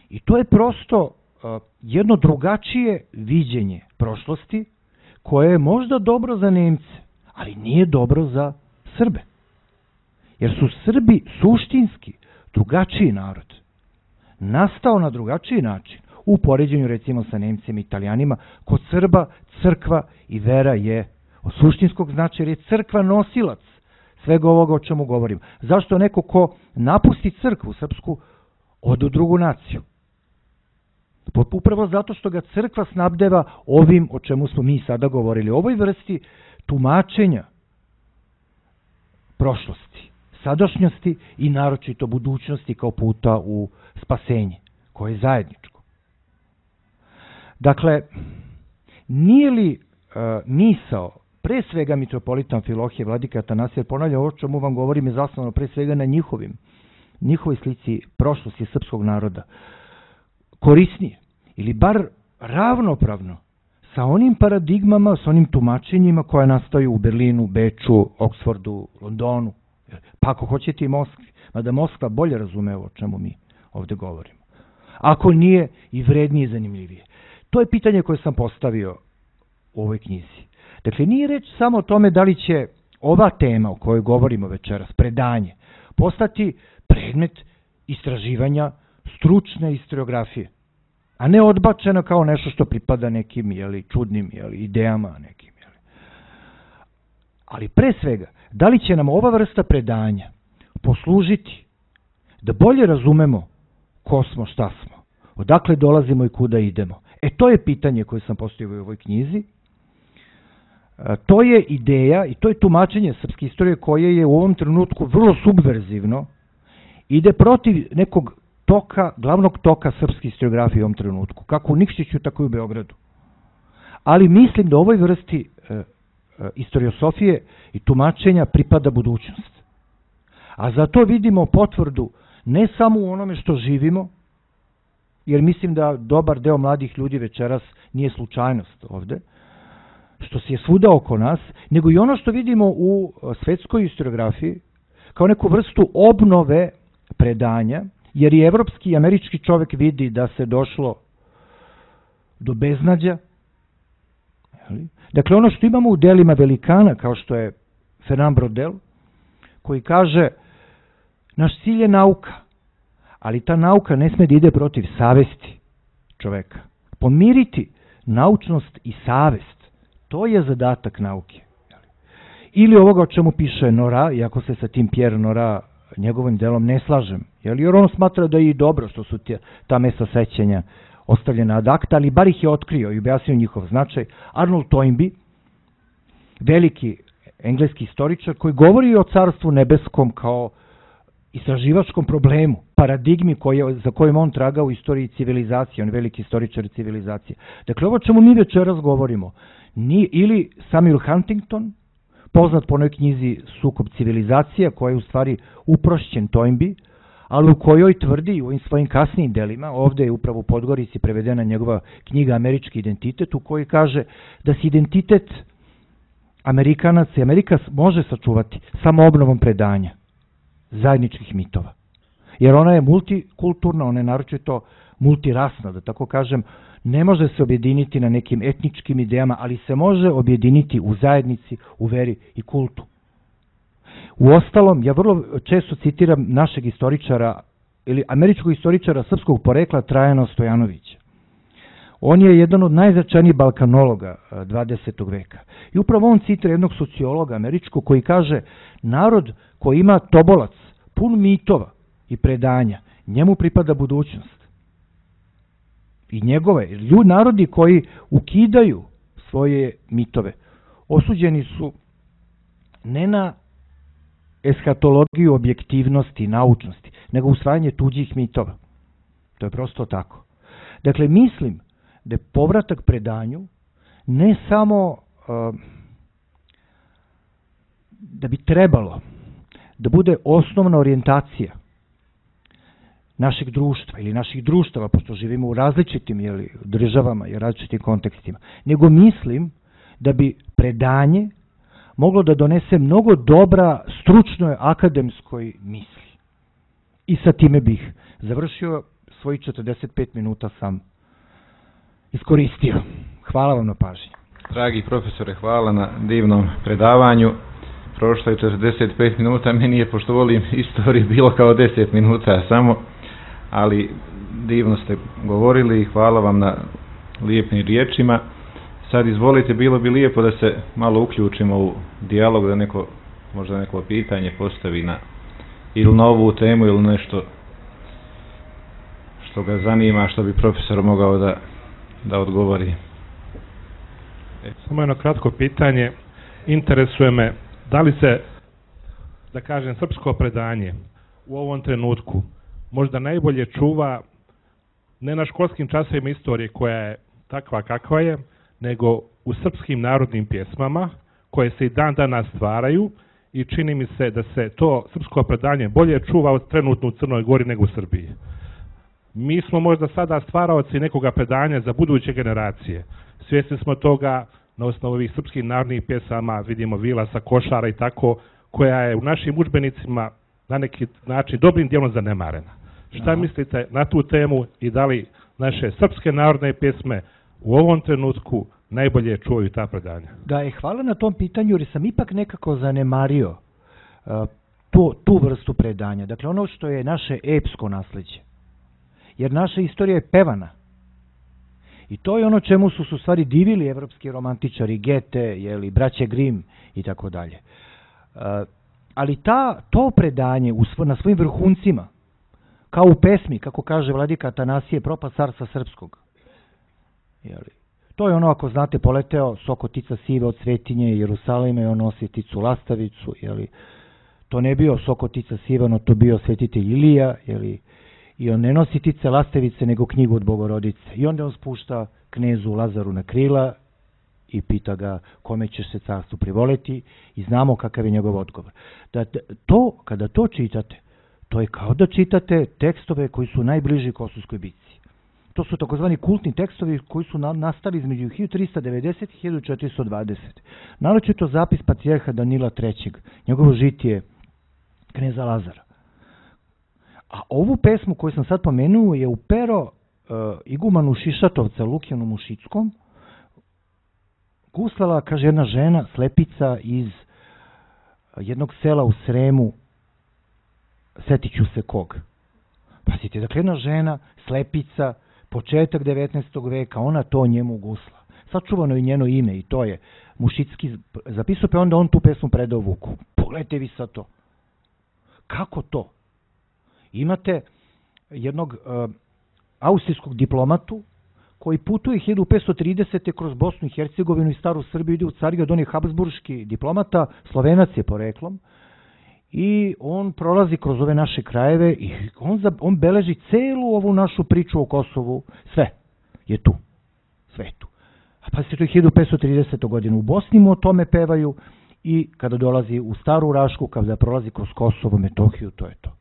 i to je prosto uh, jedno drugačije viđenje prošlosti koje je možda dobro za Nemce, ali nije dobro za Srbe. Jer su Srbi suštinski drugačiji narod. Nastao na drugačiji način. U poređenju recimo sa Nemcima i Italijanima, kod Srba crkva i vera je od suštinskog značaja, jer je crkva nosilac svega ovoga o čemu govorim. Zašto neko ko napusti crkvu srpsku ode u drugu naciju? Upravo zato što ga crkva snabdeva ovim o čemu smo mi sada govorili. O ovoj vrsti tumačenja prošlosti, sadašnjosti i naročito budućnosti kao puta u spasenje, koje je zajedničko. Dakle, nije li uh, misao pre svega mitropolita Amfilohije, vladika Atanasija, ponavljam, ovo čemu vam govorim je zasnovano pre svega na njihovim, njihovoj slici prošlosti srpskog naroda, korisnije ili bar ravnopravno sa onim paradigmama, sa onim tumačenjima koja nastaju u Berlinu, Beču, Oksfordu, Londonu, pa ako hoćete i Moskvi, mada Moskva bolje razume o čemu mi ovde govorimo. Ako nije i vrednije i zanimljivije. To je pitanje koje sam postavio u ovoj knjizi. Dakle, nije reč samo o tome da li će ova tema o kojoj govorimo večeras, predanje, postati predmet istraživanja stručne historiografije, a ne odbačena kao nešto što pripada nekim jeli, čudnim jeli, idejama nekim. Jeli. Ali pre svega, da li će nam ova vrsta predanja poslužiti da bolje razumemo ko smo, šta smo, odakle dolazimo i kuda idemo. E, to je pitanje koje sam postavio u ovoj knjizi. E, to je ideja i to je tumačenje srpske istorije koje je u ovom trenutku vrlo subverzivno, ide protiv nekog toka, glavnog toka srpske historiografije u ovom trenutku, kako u Nikšiću, tako i u Beogradu. Ali mislim da ovoj vrsti e, e, istoriosofije i tumačenja pripada budućnost. A za to vidimo potvrdu ne samo u onome što živimo, jer mislim da dobar deo mladih ljudi večeras nije slučajnost ovde, što se je svuda oko nas, nego i ono što vidimo u svetskoj historiografiji kao neku vrstu obnove predanja, jer i evropski i američki čovek vidi da se došlo do beznađa. Dakle, ono što imamo u delima velikana, kao što je Fernand Braudel, koji kaže naš cilj je nauka, ali ta nauka ne sme da ide protiv savesti čoveka. Pomiriti naučnost i savest, to je zadatak nauke. Ili ovoga o čemu piše Nora, iako se sa tim Pierre Nora njegovim delom ne slažem, jer on smatra da je i dobro što su ta mesta sećanja ostavljena ad acta, ali bar ih je otkrio i objasnio njihov značaj. Arnold Toynbee, veliki engleski istoričar, koji govori o Carstvu nebeskom kao istraživačkom problemu, paradigmi koje, za kojim on traga u istoriji civilizacije, on je veliki istoričar civilizacije. Dakle, ovo čemu mi večeras govorimo, ni, ili Samuel Huntington, poznat po onoj knjizi Sukob civilizacija, koja je u stvari uprošćen Toynbee, ali u kojoj tvrdi u ovim svojim kasnijim delima, ovde je upravo u Podgorici prevedena njegova knjiga Američki identitet, u kojoj kaže da se identitet Amerikanaca i Amerika može sačuvati samo obnovom predanja zajedničkih mitova. Jer ona je multikulturna, ona je naročito multirasna, da tako kažem, ne može se objediniti na nekim etničkim idejama, ali se može objediniti u zajednici, u veri i kultu. U ostalom, ja vrlo često citiram našeg istoričara, ili američkog istoričara srpskog porekla Trajana Stojanovića. On je jedan od najznačajnijih balkanologa dvadesetog veka. I upravo on citira jednog sociologa američkog koji kaže: narod koji ima tobolac pun mitova i predanja, njemu pripada budućnost. I njegove, ljudi, narodi koji ukidaju svoje mitove, osuđeni su ne na eshatologiju objektivnosti i naučnosti, nego usvajanje tuđih mitova. To je prosto tako. Dakle, mislim da je povratak predanju ne samo uh, da bi trebalo da bude osnovna orijentacija našeg društva ili naših društava, pošto živimo u različitim jeli, državama i različitim kontekstima, nego mislim da bi predanje moglo da donese mnogo dobra stručnoj akademskoj misli. I sa time bih završio, svojih četrdeset pet minuta sam iskoristio. Hvala vam na pažnji. Dragi profesore, hvala na divnom predavanju. Prošlo je četrdeset pet minuta, meni je, pošto volim istoriju, bilo kao deset minuta samo, ali divno ste govorili i hvala vam na lijepim riječima. Sad izvolite, bilo bi lijepo da se malo uključimo u dijalog, da neko, možda neko pitanje postavi na ili na ovu temu ili nešto što ga zanima, što bi profesor mogao da, da odgovori. Samo jedno kratko pitanje. Interesuje me da li se, da kažem, srpsko predanje u ovom trenutku možda najbolje čuva ne na školskim časovima istorije koja je takva kakva je, nego u srpskim narodnim pjesmama koje se i dan danas stvaraju i čini mi se da se to srpsko predanje bolje čuva od trenutno u Crnoj Gori nego u Srbiji. Mi smo možda sada stvaraoci nekoga predanja za buduće generacije. Svjesni smo toga na osnovu ovih srpskih narodnih pjesama, vidimo Vilasa, Košara i tako, koja je u našim udžbenicima na neki način dobrim dijelom zanemarena. Šta Aha. mislite na tu temu i da li naše srpske narodne pjesme u ovom trenutku najbolje čuju ta predanja? Da, je hvala na tom pitanju, jer sam ipak nekako zanemario uh, tu, tu vrstu predanja. Dakle, ono što je naše epsko nasleđe. Jer naša istorija je pevana. I to je ono čemu su su stvari divili evropski romantičari, Gete, jeli, braće Grimm i tako dalje. Ali ta, to predanje u svo, na svojim vrhuncima, kao u pesmi, kako kaže vladika Atanasije, Propast carstva srpskog. Jeli, to je ono, ako znate, poleteo sokotica sive od Svetinje i Jerusalima i on nosi ticu lastavicu. Jeli, to ne bio sokotica siva, no to bio svetitelj Ilija, jeli, i on ne nosi tice lastevice, nego knjigu od Bogorodice. I onda on spušta knezu Lazaru na krila i pita ga kome ćeš se carstvu privoleti i znamo kakav je njegov odgovor. Da, to, kada to čitate, to je kao da čitate tekstove koji su najbliži Kosovskoj bitci. To su takozvani kultni tekstovi koji su na, nastali između hiljadu trista devedeset i hiljadu četiristo dvadeset. Naročito zapis patrijarha Danila trećeg, njegovo žitije kneza Lazara. A ovu pesmu koju sam sad pomenuo je u pero uh, igumanu Šišatovca Lukjanu Mušickom guslala, kaže, jedna žena, slepica iz jednog sela u Sremu, setit ću se kog. Pazite, dakle, jedna žena, slepica, početak devetnaestog veka, ona to njemu gusla. Sačuvano je njeno ime i to je Mušicki zapisao, pa onda on tu pesmu predao Vuku. Pogledajte vi sad to. Kako to? Imate jednog uh, austrijskog diplomatu koji putuje hiljadu petsto tridesete kroz Bosnu i Hercegovinu i Staru Srbiju, ide u Carigrad, on je habsburški diplomata, Slovenac je poreklom, i on prolazi kroz ove naše krajeve i on, za, on beleži celu ovu našu priču o Kosovu, sve je tu, sve je tu. A pa se to je hiljadu petsto tridesete godine u Bosni mu o tome pevaju i kada dolazi u Staru Rašku, kada prolazi kroz Kosovo, Metohiju, to je to.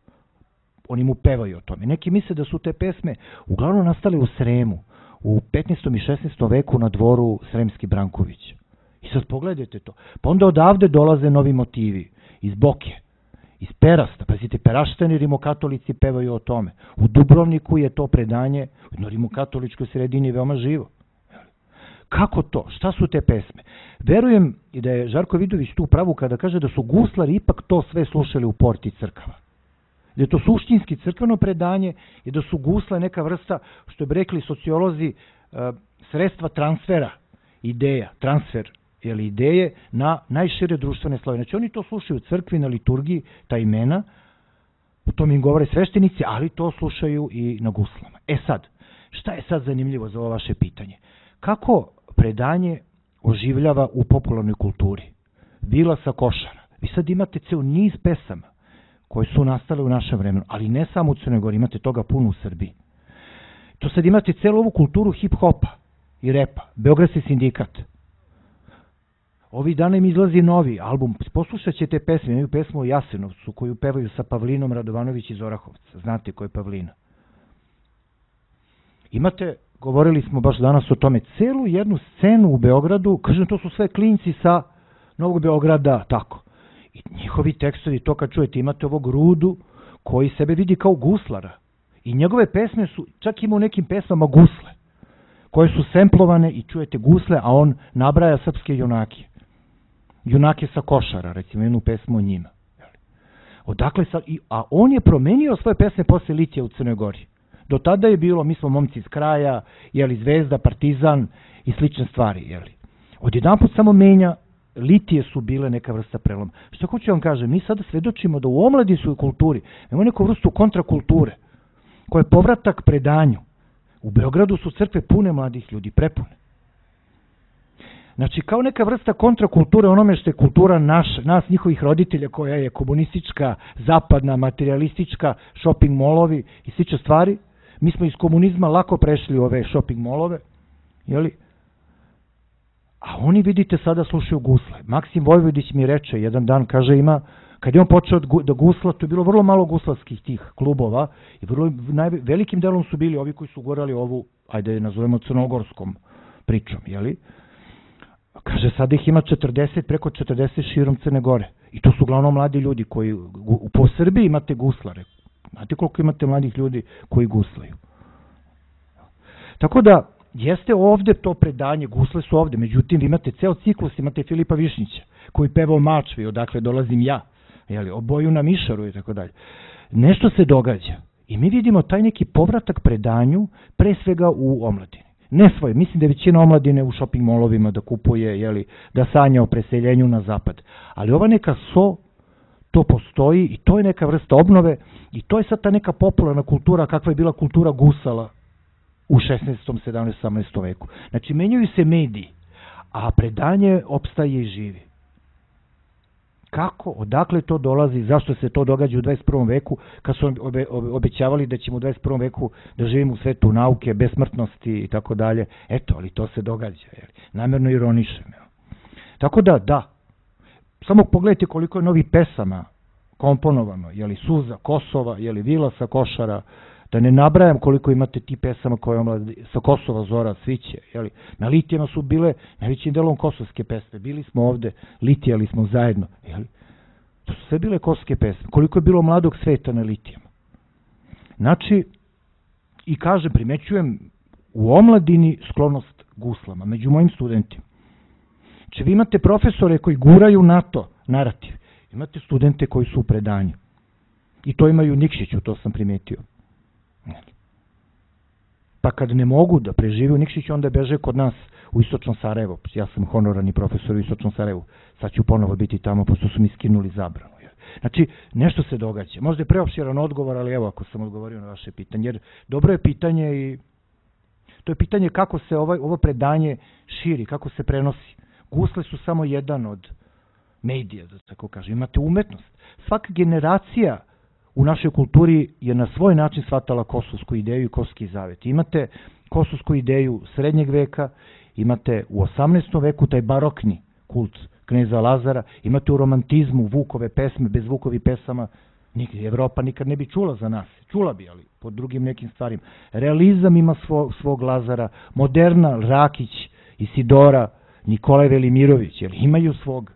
Oni mu pevaju o tome. Neki misle da su te pesme uglavnom nastale u Sremu, u petnaestom i šesnaestom veku na dvoru Sremski Branković. I sad pogledajte to. Pa onda odavde dolaze novi motivi. Iz Boke, iz Perasta. Pazite, Peraštani rimokatolici pevaju o tome. U Dubrovniku je to predanje u rimokatoličkoj sredini veoma živo. Kako to? Šta su te pesme? Verujem i da je Žarko Vidović tu pravu kada kaže da su guslari ipak to sve slušali u porti crkava. Da je to suštinski crkveno predanje i da su gusle neka vrsta, što bi rekli sociolozi, sredstva transfera ideja, transfer jeli, ideje na najšire društvene slojeve. Znači oni to slušaju u crkvi, na liturgiji, ta imena, to mi im govore sveštenici, ali to slušaju i na guslama. E sad, šta je sad zanimljivo za ovo vaše pitanje? Kako predanje oživljava u popularnoj kulturi? Vila sa Košara. Vi sad imate ceo niz pesama koje su nastale u našem vremenu, ali ne samo u Crnoj Gori, imate toga puno u Srbiji. To sad imate celu ovu kulturu hip-hopa i repa, Beogradski sindikat. Ovih dana im izlazi novi album, poslušat ćete pesme, imaju pesmu o Jasenovcu koju pevaju sa Pavlinom Radovanović iz Orahovca, znate ko je Pavlina. Imate, govorili smo baš danas o tome, celu jednu scenu u Beogradu, kažem, to su sve klinci sa Novog Beograda, tako. I njihovi tekstovi, to kad čujete, imate ovog Rudu koji sebe vidi kao guslara. I njegove pesme su, čak ima u nekim pesmama gusle, koje su semplovane i čujete gusle, a on nabraja srpske junake. Junake sa Košara, recimo jednu pesmu o njima. Odakle sad, a on je promenio svoje pesme posle Litija u Crnoj Gori. Do tada je bilo, mi smo momci iz kraja, jeli, Zvezda, Partizan i slične stvari. Jeli. Odjedanput samo menja, Litije su bile neka vrsta preloma. Što hoću vam kažem, mi sada svedočimo da u omladinskoj kulturi imamo neku vrstu kontrakulture, koja je povratak predanju. U Beogradu su crkve pune mladih ljudi, prepune. Znači, kao neka vrsta kontrakulture onome što je kultura naš, nas, njihovih roditelja, koja je komunistička, zapadna, materialistička, shopping molovi i slične stvari. Mi smo iz komunizma lako prešli u ove shopping molove, jeli? A oni, vidite, sada slušaju gusle. Maksim Vojvodić mi reče, jedan dan, kaže, ima, kad je on počeo da gusla, to je bilo vrlo malo guslarskih tih klubova i vrlo, najve, velikim delom su bili ovi koji su gorali ovu, ajde je nazovemo crnogorskom pričom, jeli? Kaže, sada ih ima četrdeset, preko četrdeset širom Crne Gore. I to su uglavnom mladi ljudi koji, po Srbiji imate guslare. Znate koliko imate mladih ljudi koji guslaju. Tako da, jeste ovde to predanje, gusle su ovde, međutim, vi imate ceo ciklus, imate Filipa Višnjića, koji peva o Mačvi, odakle dolazim ja, jeli, o boju na Mišaru i tako dalje. Nešto se događa. I mi vidimo taj neki povratak predanju, pre svega u omladini. Ne svoje, mislim da je većina omladine u shopping molovima da kupuje, jeli, da sanja o preseljenju na zapad. Ali ova neka so, to postoji i to je neka vrsta obnove i to je sad ta neka popularna kultura kakva je bila kultura gusala u šesnaestom, sedamnaestom, osamnaestom veku. Znači, menjaju se mediji, a predanje opstaje i živi. Kako, odakle to dolazi, zašto se to događa u dvadeset prvom veku, kad su obe, obe, obećavali da ćemo u dvadeset prvom veku da živimo u svetu nauke, besmrtnosti i tako dalje. Eto, ali to se događa, jel? Namjerno ironišem. Jel? Tako da, da, samo pogledajte koliko je novih pesama komponovano, jeli Suza, Kosova, jeli Vila sa Košara, da ne nabrajam koliko imate ti pesama koje omladi, sa Kosova, Zora, Sviće, jeli. Na Litijama su bile najvećim delom kosovske pesme, bili smo ovde, litijali smo zajedno, jeli. To su sve bile kosovske pesme, koliko je bilo mladog sveta na Litijama. Znači, i kažem, primećujem u omladini sklonost guslama, među mojim studentima. Znači, vi imate profesore koji guraju na to narativ, imate studente koji su u predanju. I to imaju Nikšiću, to sam primetio. Pa kad ne mogu da prežive u Nikšiću, onda beže kod nas u Istočnom Sarajevu. Ja sam honorarni profesor u Istočnom Sarajevu. Sad ću ponovo biti tamo, pošto su mi skinuli zabranu. Znači, nešto se događa. Možda je preopširan odgovor, ali evo ako sam odgovorio na vaše pitanje. Jer dobro je pitanje i to je pitanje kako se ovaj, ovo predanje širi, kako se prenosi. Gusle su samo jedan od medija, da tako kažem. Imate umetnost. Svaka generacija u našoj kulturi je na svoj način shvatala kosovsku ideju i kosovski zavet. Imate kosovsku ideju srednjeg veka, imate u osamnaestom veku taj barokni kult kneza Lazara, imate u romantizmu Vukove pesme, bez Vukovi pesama Evropa nikad ne bi čula za nas. Čula bi, ali pod drugim nekim stvarima. Realizam ima svog, svog Lazara, moderna Rakić, Isidora, Nikolaj Velimirović, jer imaju svog,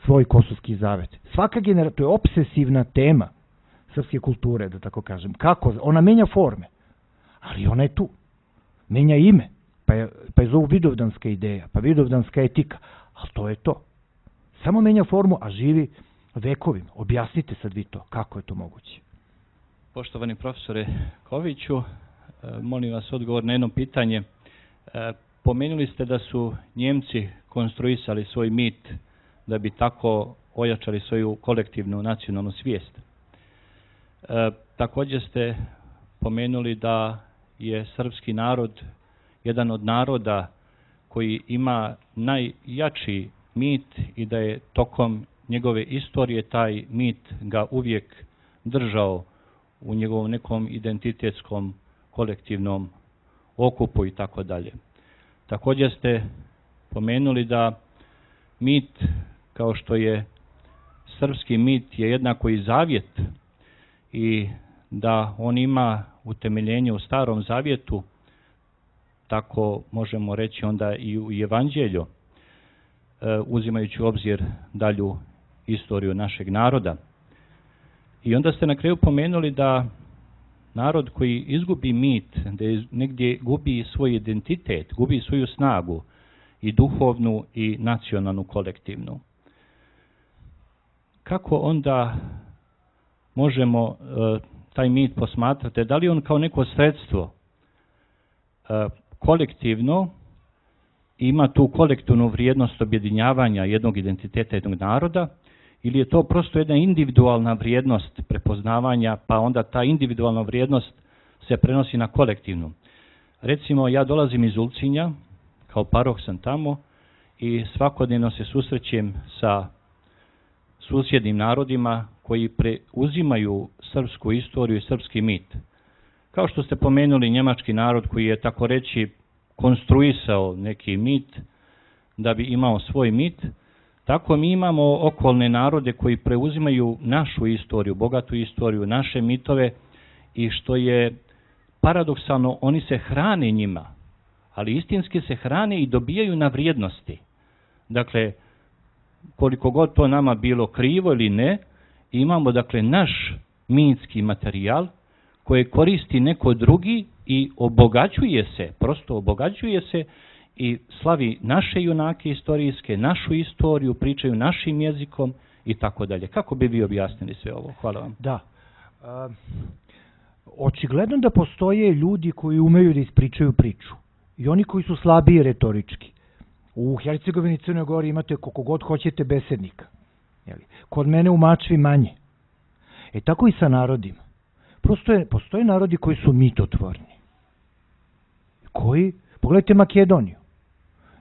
svoj kosovski zavet. Svaka generacija, to je obsesivna tema srpske kulture, da tako kažem. Kako? Ona menja forme, ali ona je tu. Menja ime, pa je, pa je zovu vidovdanska ideja, pa vidovdanska etika, ali to je to. Samo menja formu, a živi vekovima. Objasnite sad vi to, kako je to moguće. Poštovani profesore Koviću, molim vas odgovor na jedno pitanje. E, pomenuli ste da su Njemci konstruisali svoj mit da bi tako ojačali svoju kolektivnu nacionalnu svijest. E, također ste pomenuli da je srpski narod jedan od naroda koji ima najjači mit i da je tokom njegove istorije taj mit ga uvijek držao u njegovom nekom identitetskom kolektivnom okupu i tako dalje. Također ste pomenuli da mit, kao što je srpski mit, je jednako i zavjet i da on ima utemeljenje u Starom zavjetu, tako možemo reći onda i u Evanđelju, uzimajući u obzir dalju istoriju našeg naroda. I onda ste na kraju pomenuli da narod koji izgubi mit, da negdje gubi svoj identitet, gubi svoju snagu, i duhovnu i nacionalnu kolektivnu. Kako onda možemo uh, taj mit posmatrati? Da li on kao neko sredstvo uh, kolektivno ima tu kolektivnu vrijednost objedinjavanja jednog identiteta jednog naroda, ili je to prosto jedna individualna vrijednost prepoznavanja, pa onda ta individualna vrijednost se prenosi na kolektivnu? Recimo, ja dolazim iz Ulcinja, kao paroh sam tamo i svakodnevno se susrećem sa susjednim narodima koji preuzimaju srpsku istoriju i srpski mit. Kao što ste pomenuli njemački narod koji je, tako reći, konstruisao neki mit da bi imao svoj mit, tako mi imamo okolne narode koji preuzimaju našu istoriju, bogatu istoriju, naše mitove, i što je paradoksalno, oni se hrane njima, ali istinski se hrane i dobijaju na vrijednosti. Dakle, koliko god to nama bilo krivo ili ne, imamo dakle naš mitski materijal koji koristi neko drugi i obogaćuje se, prosto obogaćuje se i slavi naše junake istorijske, našu istoriju, pričaju našim jezikom i tako dalje. Kako bi vi objasnili sve ovo? Hvala vam. Da. Uh, očigledno da postoje ljudi koji umeju da ispričaju priču i oni koji su slabiji retorički. U Hercegovini i Crnoj Gori imate koliko god hoćete besednika. Jeli? Kod mene u Mačvi manje. E tako i sa narodima. Prosto je, postoje narodi koji su mitotvorni. Koji? Pogledajte Makedoniju.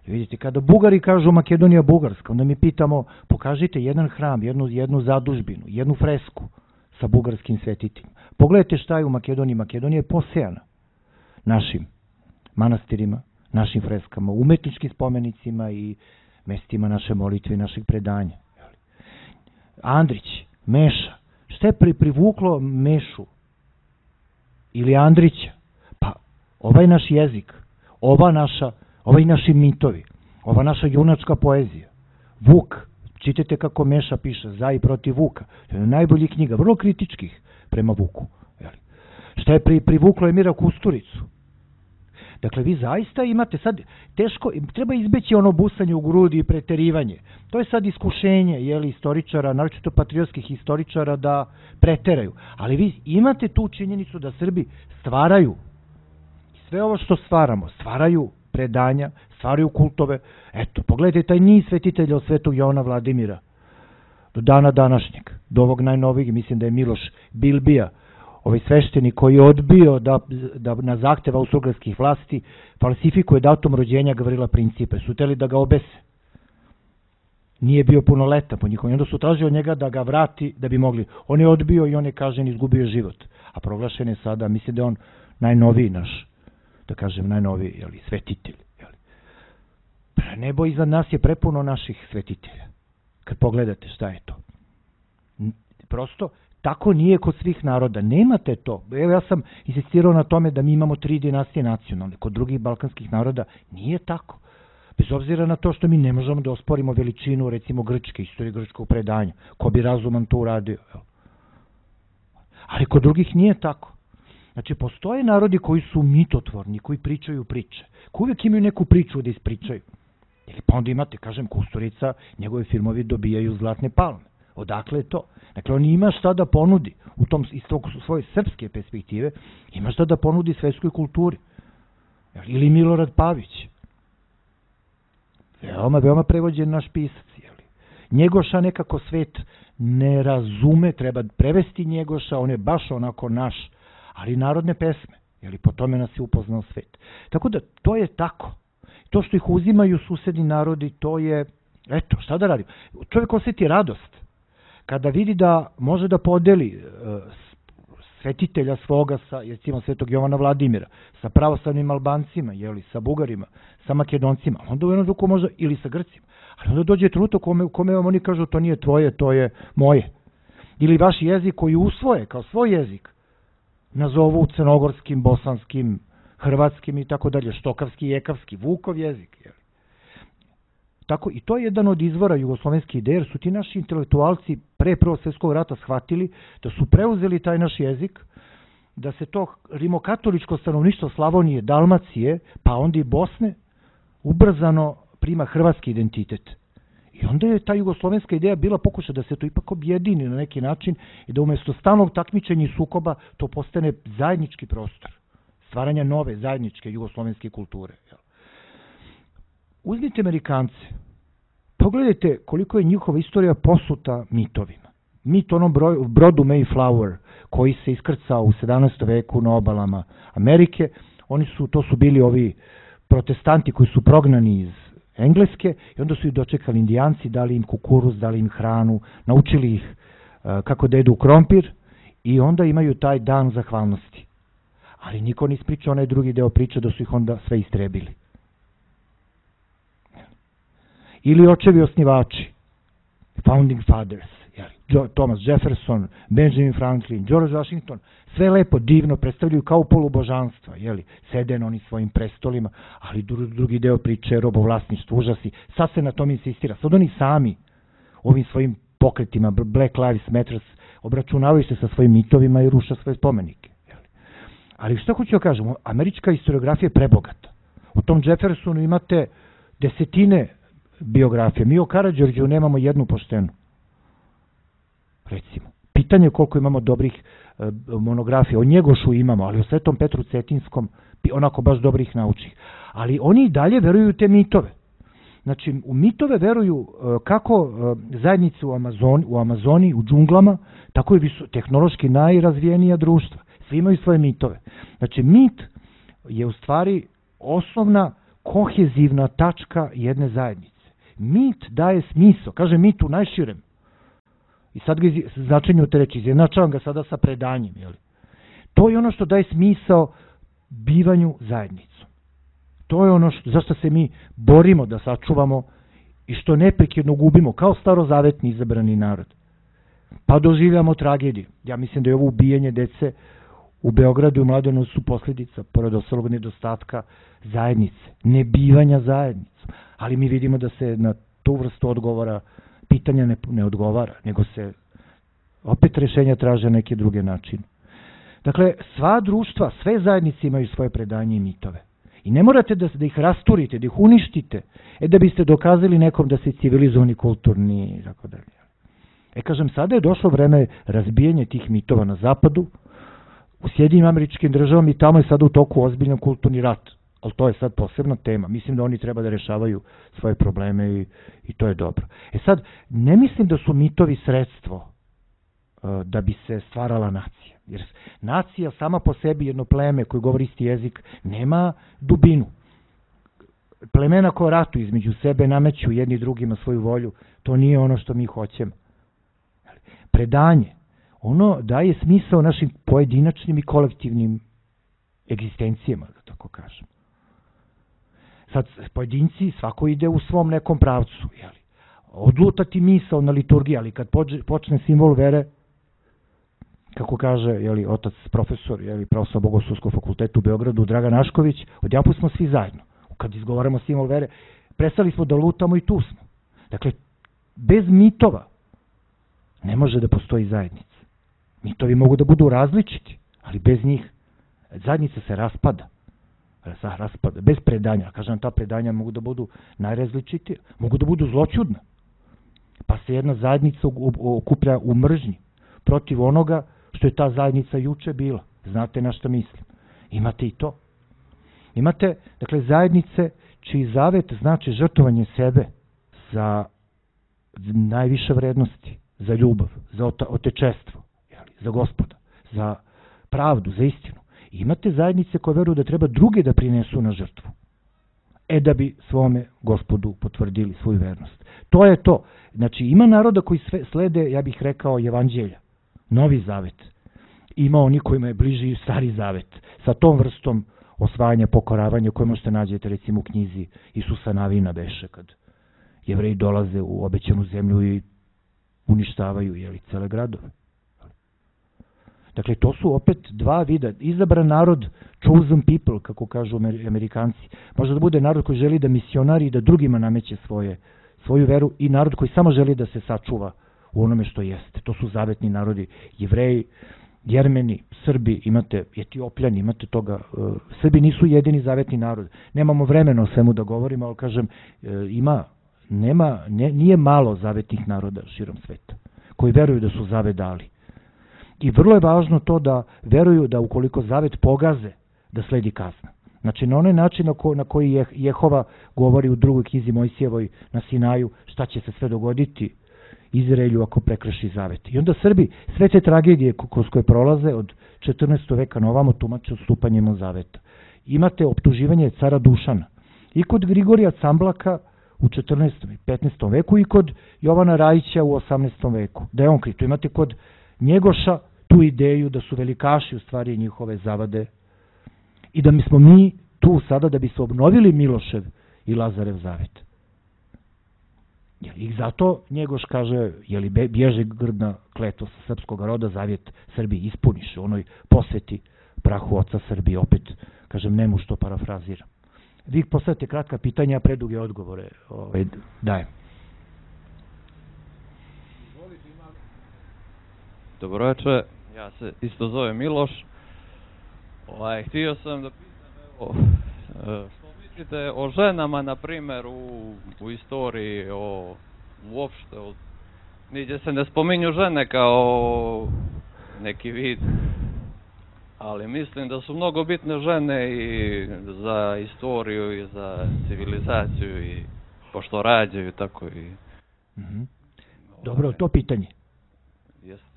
Vidite, kada Bugari kažu Makedonija Bugarska, onda mi pitamo, pokažite jedan hram, jednu, jednu zadužbinu, jednu fresku sa bugarskim svetiteljima. Pogledajte šta je u Makedoniji. Makedonija je posejana našim manastirima, našim freskama, umetničkim spomenicima i mestima naše molitve i našeg predanja. Andrić, Meša. Šta je pri, privuklo Mešu ili Andrića? Pa ovaj naš jezik, ova naša, ovaj naši mitovi, ova naša junačka poezija. Vuk, čitajte kako Meša piše, za i protiv Vuka. To je najbolji knjiga, vrlo kritičkih prema Vuku. Šta je pri, privuklo Emira Kusturicu? Dakle, vi zaista imate sad teško, treba izbeći ono busanje u grudi i preterivanje. To je sad iskušenje, jeli, istoričara, naročito patriotskih historičara, da preteraju. Ali vi imate tu činjenicu da Srbi stvaraju, sve ovo što stvaramo, stvaraju predanja, stvaraju kultove. Eto, pogledajte taj niz svetitelja od Svetog Jovana Vladimira do dana današnjeg, do ovog najnovijeg, mislim da je Miloš Bilbija, ovaj sveštenik koji je odbio da, da na zahtev austrougarskih vlasti falsifikuje datum rođenja Gavrila Principe. Su hteli da ga obese. Nije bio punoletan po njihovom. Onda su tražili od njega da ga vrati da bi mogli. On je odbio i on je kažen izgubio život. A proglašen je sada, mislim da je on najnoviji naš, da kažem najnoviji, jeli, svetitelj. Jeli. Nebo iznad nas je prepuno naših svetitelja. Kad pogledate šta je to. Prosto, tako nije kod svih naroda. Nemate to. Evo, ja sam insistirao na tome da mi imamo tri dinastije nacionalne. Kod drugih balkanskih naroda nije tako. Bez obzira na to što mi ne možemo da osporimo veličinu, recimo, grčke, istorije grčkog predanja. Ko bi razuman to uradio? Ali kod drugih nije tako. Znači, postoje narodi koji su mitotvorni, koji pričaju priče. Koji uvijek imaju neku priču da ispričaju. Ili pa onda imate, kažem, Kusturica, njegove filmovi dobijaju zlatne palme. Odakle je to? Dakle, on ima šta da ponudi u tom, iz tog svoje srpske perspektive, ima šta da ponudi svetskoj kulturi. Ili Milorad Pavić. Veoma, veoma prevođen naš pisac. Jeli. Njegoša nekako svet ne razume, treba prevesti Njegoša, on je baš onako naš, ali narodne pesme. Jeli, po tome nas je upoznao svet. Tako da, to je tako. To što ih uzimaju susedni narodi, to je, eto, šta da radim? Čovjek osjeti radost kada vidi da može da podeli uh, svetitelja svoga sa, recimo, svetog Jovana Vladimira, sa pravoslavnim Albancima, jeli, sa Bugarima, sa Makedoncima, onda u jednom duku može, ili sa Grcima, ali onda dođe trenutak u kome, u kome vam oni kažu to nije tvoje, to je moje. Ili vaš jezik koji usvoje kao svoj jezik, nazovu crnogorskim, bosanskim, hrvatskim i tako dalje, štokavski, jekavski, Vukov jezik. Jeli. Tako, i to je jedan od izvora jugoslovenske ideje, jer su ti naši intelektualci pre Prvog svjetskog rata shvatili da su preuzeli taj naš jezik, da se to rimokatoličko stanovništvo Slavonije, Dalmacije, pa onda i Bosne, ubrzano prima hrvatski identitet. I onda je ta jugoslovenska ideja bila pokušaj da se to ipak objedini na neki način i da umjesto stalnog takmičenja i sukoba to postane zajednički prostor, stvaranja nove zajedničke jugoslovenske kulture. Uzmite Amerikance, pogledajte koliko je njihova istorija posuta mitovima. Mit onom broju, brodu Mayflower, koji se iskrcao u sedamnaestom veku na obalama Amerike, oni su, to su bili ovi protestanti koji su prognani iz Engleske i onda su ih dočekali Indijanci, dali im kukuruz, dali im hranu, naučili ih uh, kako da jedu krompir i onda imaju taj dan zahvalnosti. Ali niko ne ispriča onaj drugi deo priče da su ih onda sve istrebili. Ili očevi osnivači, founding fathers, jeli, Thomas Jefferson, Benjamin Franklin, George Washington, sve lepo, divno predstavljaju kao polubožanstva, jeli, sede na onim svojim prestolima, ali drugi deo priče je robovlasništvo, užasi, sad se na tom insistira, sad oni sami ovim svojim pokretima, Black Lives Matter, obračunavaju se sa svojim mitovima i ruša svoje spomenike. Jeli. Ali što hoću da kažem, američka historiografija je prebogata. U tom Jeffersonu imate desetine biografije. Mi o Karađorđu nemamo jednu poštenu. Recimo. Pitanje je koliko imamo dobrih e, monografija. O Njegošu imamo, ali o Svetom Petru Cetinskom onako baš dobrih naučih. Ali oni i dalje veruju u te mitove. Znači, u mitove veruju e, kako e, zajednice u Amazoni, u Amazoni, u džunglama, tako i viso, tehnološki najrazvijenija društva. Svi imaju svoje mitove. Znači, mit je u stvari osnovna kohezivna tačka jedne zajednice. Mit daje smisao, kaže mit u najširem. I sad ga značenju te reči, izjednačavam ga sada sa predanjem. Jeli? To je ono što daje smisao bivanju zajednicom. To je ono što, zašto se mi borimo da sačuvamo i što neprekidno gubimo kao starozavetni izabrani narod. Pa doživljamo tragediju. Ja mislim da je ovo ubijanje dece u Beogradu i Mladenovcu su posljedica, pored ostalog nedostatka zajednice, nebivanja zajednicom. Ali mi vidimo da se na tu vrstu odgovora pitanja ne, ne odgovara, nego se opet rješenja traže neke druge načine. Dakle, sva društva, sve zajednice imaju svoje predanje i mitove. I ne morate da, da ih rasturite, da ih uništite, e da biste dokazali nekom da se civilizovani, kulturni i tako dalje. E kažem, sada je došlo vreme razbijanja tih mitova na zapadu, u Sjedinjenim Američkim Državama i tamo je sada u toku ozbiljan kulturni rat. Ali to je sad posebna tema. Mislim da oni treba da rešavaju svoje probleme i, i to je dobro. E sad, ne mislim da su mitovi sredstvo uh, da bi se stvarala nacija. Jer nacija sama po sebi, jedno pleme koje govori isti jezik, nema dubinu. Plemena koja ratuju između sebe, nameću jedni drugima svoju volju, to nije ono što mi hoćemo. Predanje, ono daje smisao našim pojedinačnim i kolektivnim egzistencijama, da tako kažem. Sad, pojedinci, svako ide u svom nekom pravcu, jeli. Odlutati misao na liturgiji, ali kad počne simbol vere, kako kaže, jeli, otac profesor, jeli, pravoslavno bogoslovskog fakulteta u Beogradu, Dragan Ašković, odjedanput smo svi zajedno. Kad izgovaramo simbol vere, prestali smo da lutamo i tu smo. Dakle, bez mitova ne može da postoji zajednica. Mitovi mogu da budu različiti, ali bez njih zajednica se raspada. raspada. Bez predanja. Kažem, ta predanja mogu da budu najrazličitije. Mogu da budu zloćudna. Pa se jedna zajednica okuplja u mržnji protiv onoga što je ta zajednica juče bila. Znate na što mislim. Imate i to. Imate, dakle, zajednice čiji zavet znači žrtvovanje sebe za najviše vrednosti, za ljubav, za otečestvo, za Gospoda, za pravdu, za istinu. I imate zajednice koje veruju da treba druge da prinesu na žrtvu, e da bi svome Gospodu potvrdili svoju vernost. To je to. Znači, ima naroda koji sve slede, ja bih rekao, evanđelja, novi zavet. Ima oni kojima je bliži stari zavet, sa tom vrstom osvajanja, pokoravanja koje možete nađete recimo u knjizi Isusa Navina beše, kad Jevreji dolaze u obećanu zemlju i uništavaju jeli, cele gradove. Dakle, to su opet dva vida. Izabran narod, chosen people, kako kažu Amerikanci. Može da bude narod koji želi da misionari i da drugima nameće svoje, svoju veru i narod koji samo želi da se sačuva u onome što jeste. To su zavetni narodi. Jevreji, Jermeni, Srbi, imate Etiopljani, imate toga. Srbi nisu jedini zavetni narod. Nemamo vremena o svemu da govorimo, ali kažem, ima, nema, ne, nije malo zavetnih naroda širom sveta, koji veruju da su zavet dali. I vrlo je važno to da veruju da ukoliko zavet pogaze, da sledi kazna. Znači, na onaj način na, ko, na koji je Jehova govori u drugoj knjizi Mojsijevoj na Sinaju, šta će se sve dogoditi Izraelju ako prekrši zavet. I onda Srbi sve te tragedije kroz koje prolaze od četrnaestog veka na ovamo tumače odstupanjem od zaveta. Imate optuživanje cara Dušana i kod Grigorija Camblaka u četrnaestom i petnaestom veku i kod Jovana Rajića u osamnaestom veku. Da je on kriv. Imate kod Njegoša tu ideju da su velikaši u stvari njihove zavade i da mi smo mi tu sada da bi se obnovili Milošev i Lazarev zavet. I zato Njegoš kaže, je li bježe grdna kletost srpskog roda, zavjet Srbiji ispuniš u onoj posveti prahu oca Srbije, opet, kažem, nemu što parafraziram. Vi postavite kratka pitanja, a preduge odgovore ovaj, dajem. Dobro večer, ja se isto zovem Miloš. Ovaj, htio sam da pitam, evo, što mislite o ženama, na primjer, u, u istoriji, o, uopšte, o, nigdje se ne spominju žene kao neki vid, ali mislim da su mnogo bitne žene i za istoriju i za civilizaciju i pošto rađaju tako i... Mm-hmm. Dobro, to pitanje.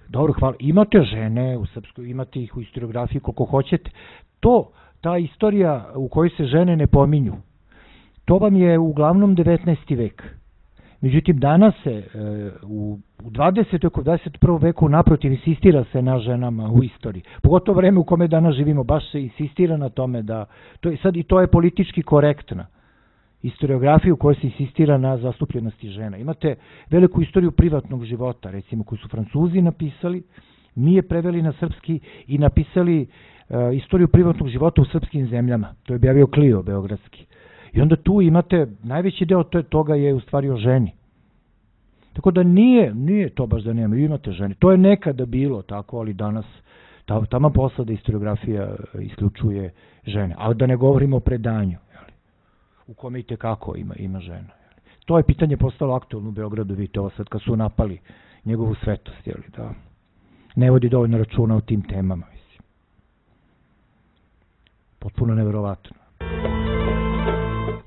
Dobro, hvala. Imate žene u srpskoj, imate ih u historiografiji koliko hoćete. To, ta istorija u kojoj se žene ne pominju, to vam je uglavnom devetnaesti vek. Međutim, danas se u dvadesetom veku, u dvadeset prvom veku naprotiv insistira se na ženama u istoriji. Pogotovo vreme u kome danas živimo, baš se insistira na tome da, to je, sad i to je politički korektna historiografiju u kojoj se insistira na zastupljenosti žena. Imate veliku istoriju privatnog života, recimo, koju su Francuzi napisali, mi je preveli na srpski i napisali uh, istoriju privatnog života u srpskim zemljama. To je objavio Clio, beogradski. I onda tu imate, najveći deo toga je u stvari o ženi. Tako da nije, nije to baš da nema, imate žene. To je nekada bilo tako, ali danas tamo posla da historiografija isključuje žene. Ali da ne govorimo o predanju, u kome i tekako ima, ima žena. To je pitanje postalo aktualno u Beogradu, vidite ovo sad kad su napali njegovu svetost, jeli, da ne vodi dovoljno računa o tim temama, mislim. Potpuno neverovatno.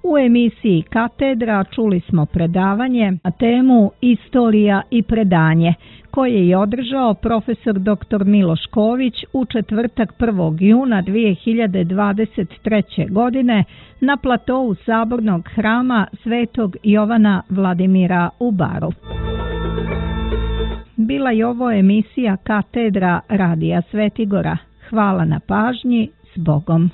U emisiji Katedra čuli smo predavanje na temu Istorija i predanje, koje je održao profesor doktor Miloš Ković u četvrtak prvog juna dvije hiljade dvadeset treće. godine na platou Sabornog hrama Svetog Jovana Vladimira u Baru. Bila je ovo emisija Katedra Radija Svetigora. Hvala na pažnji, s Bogom.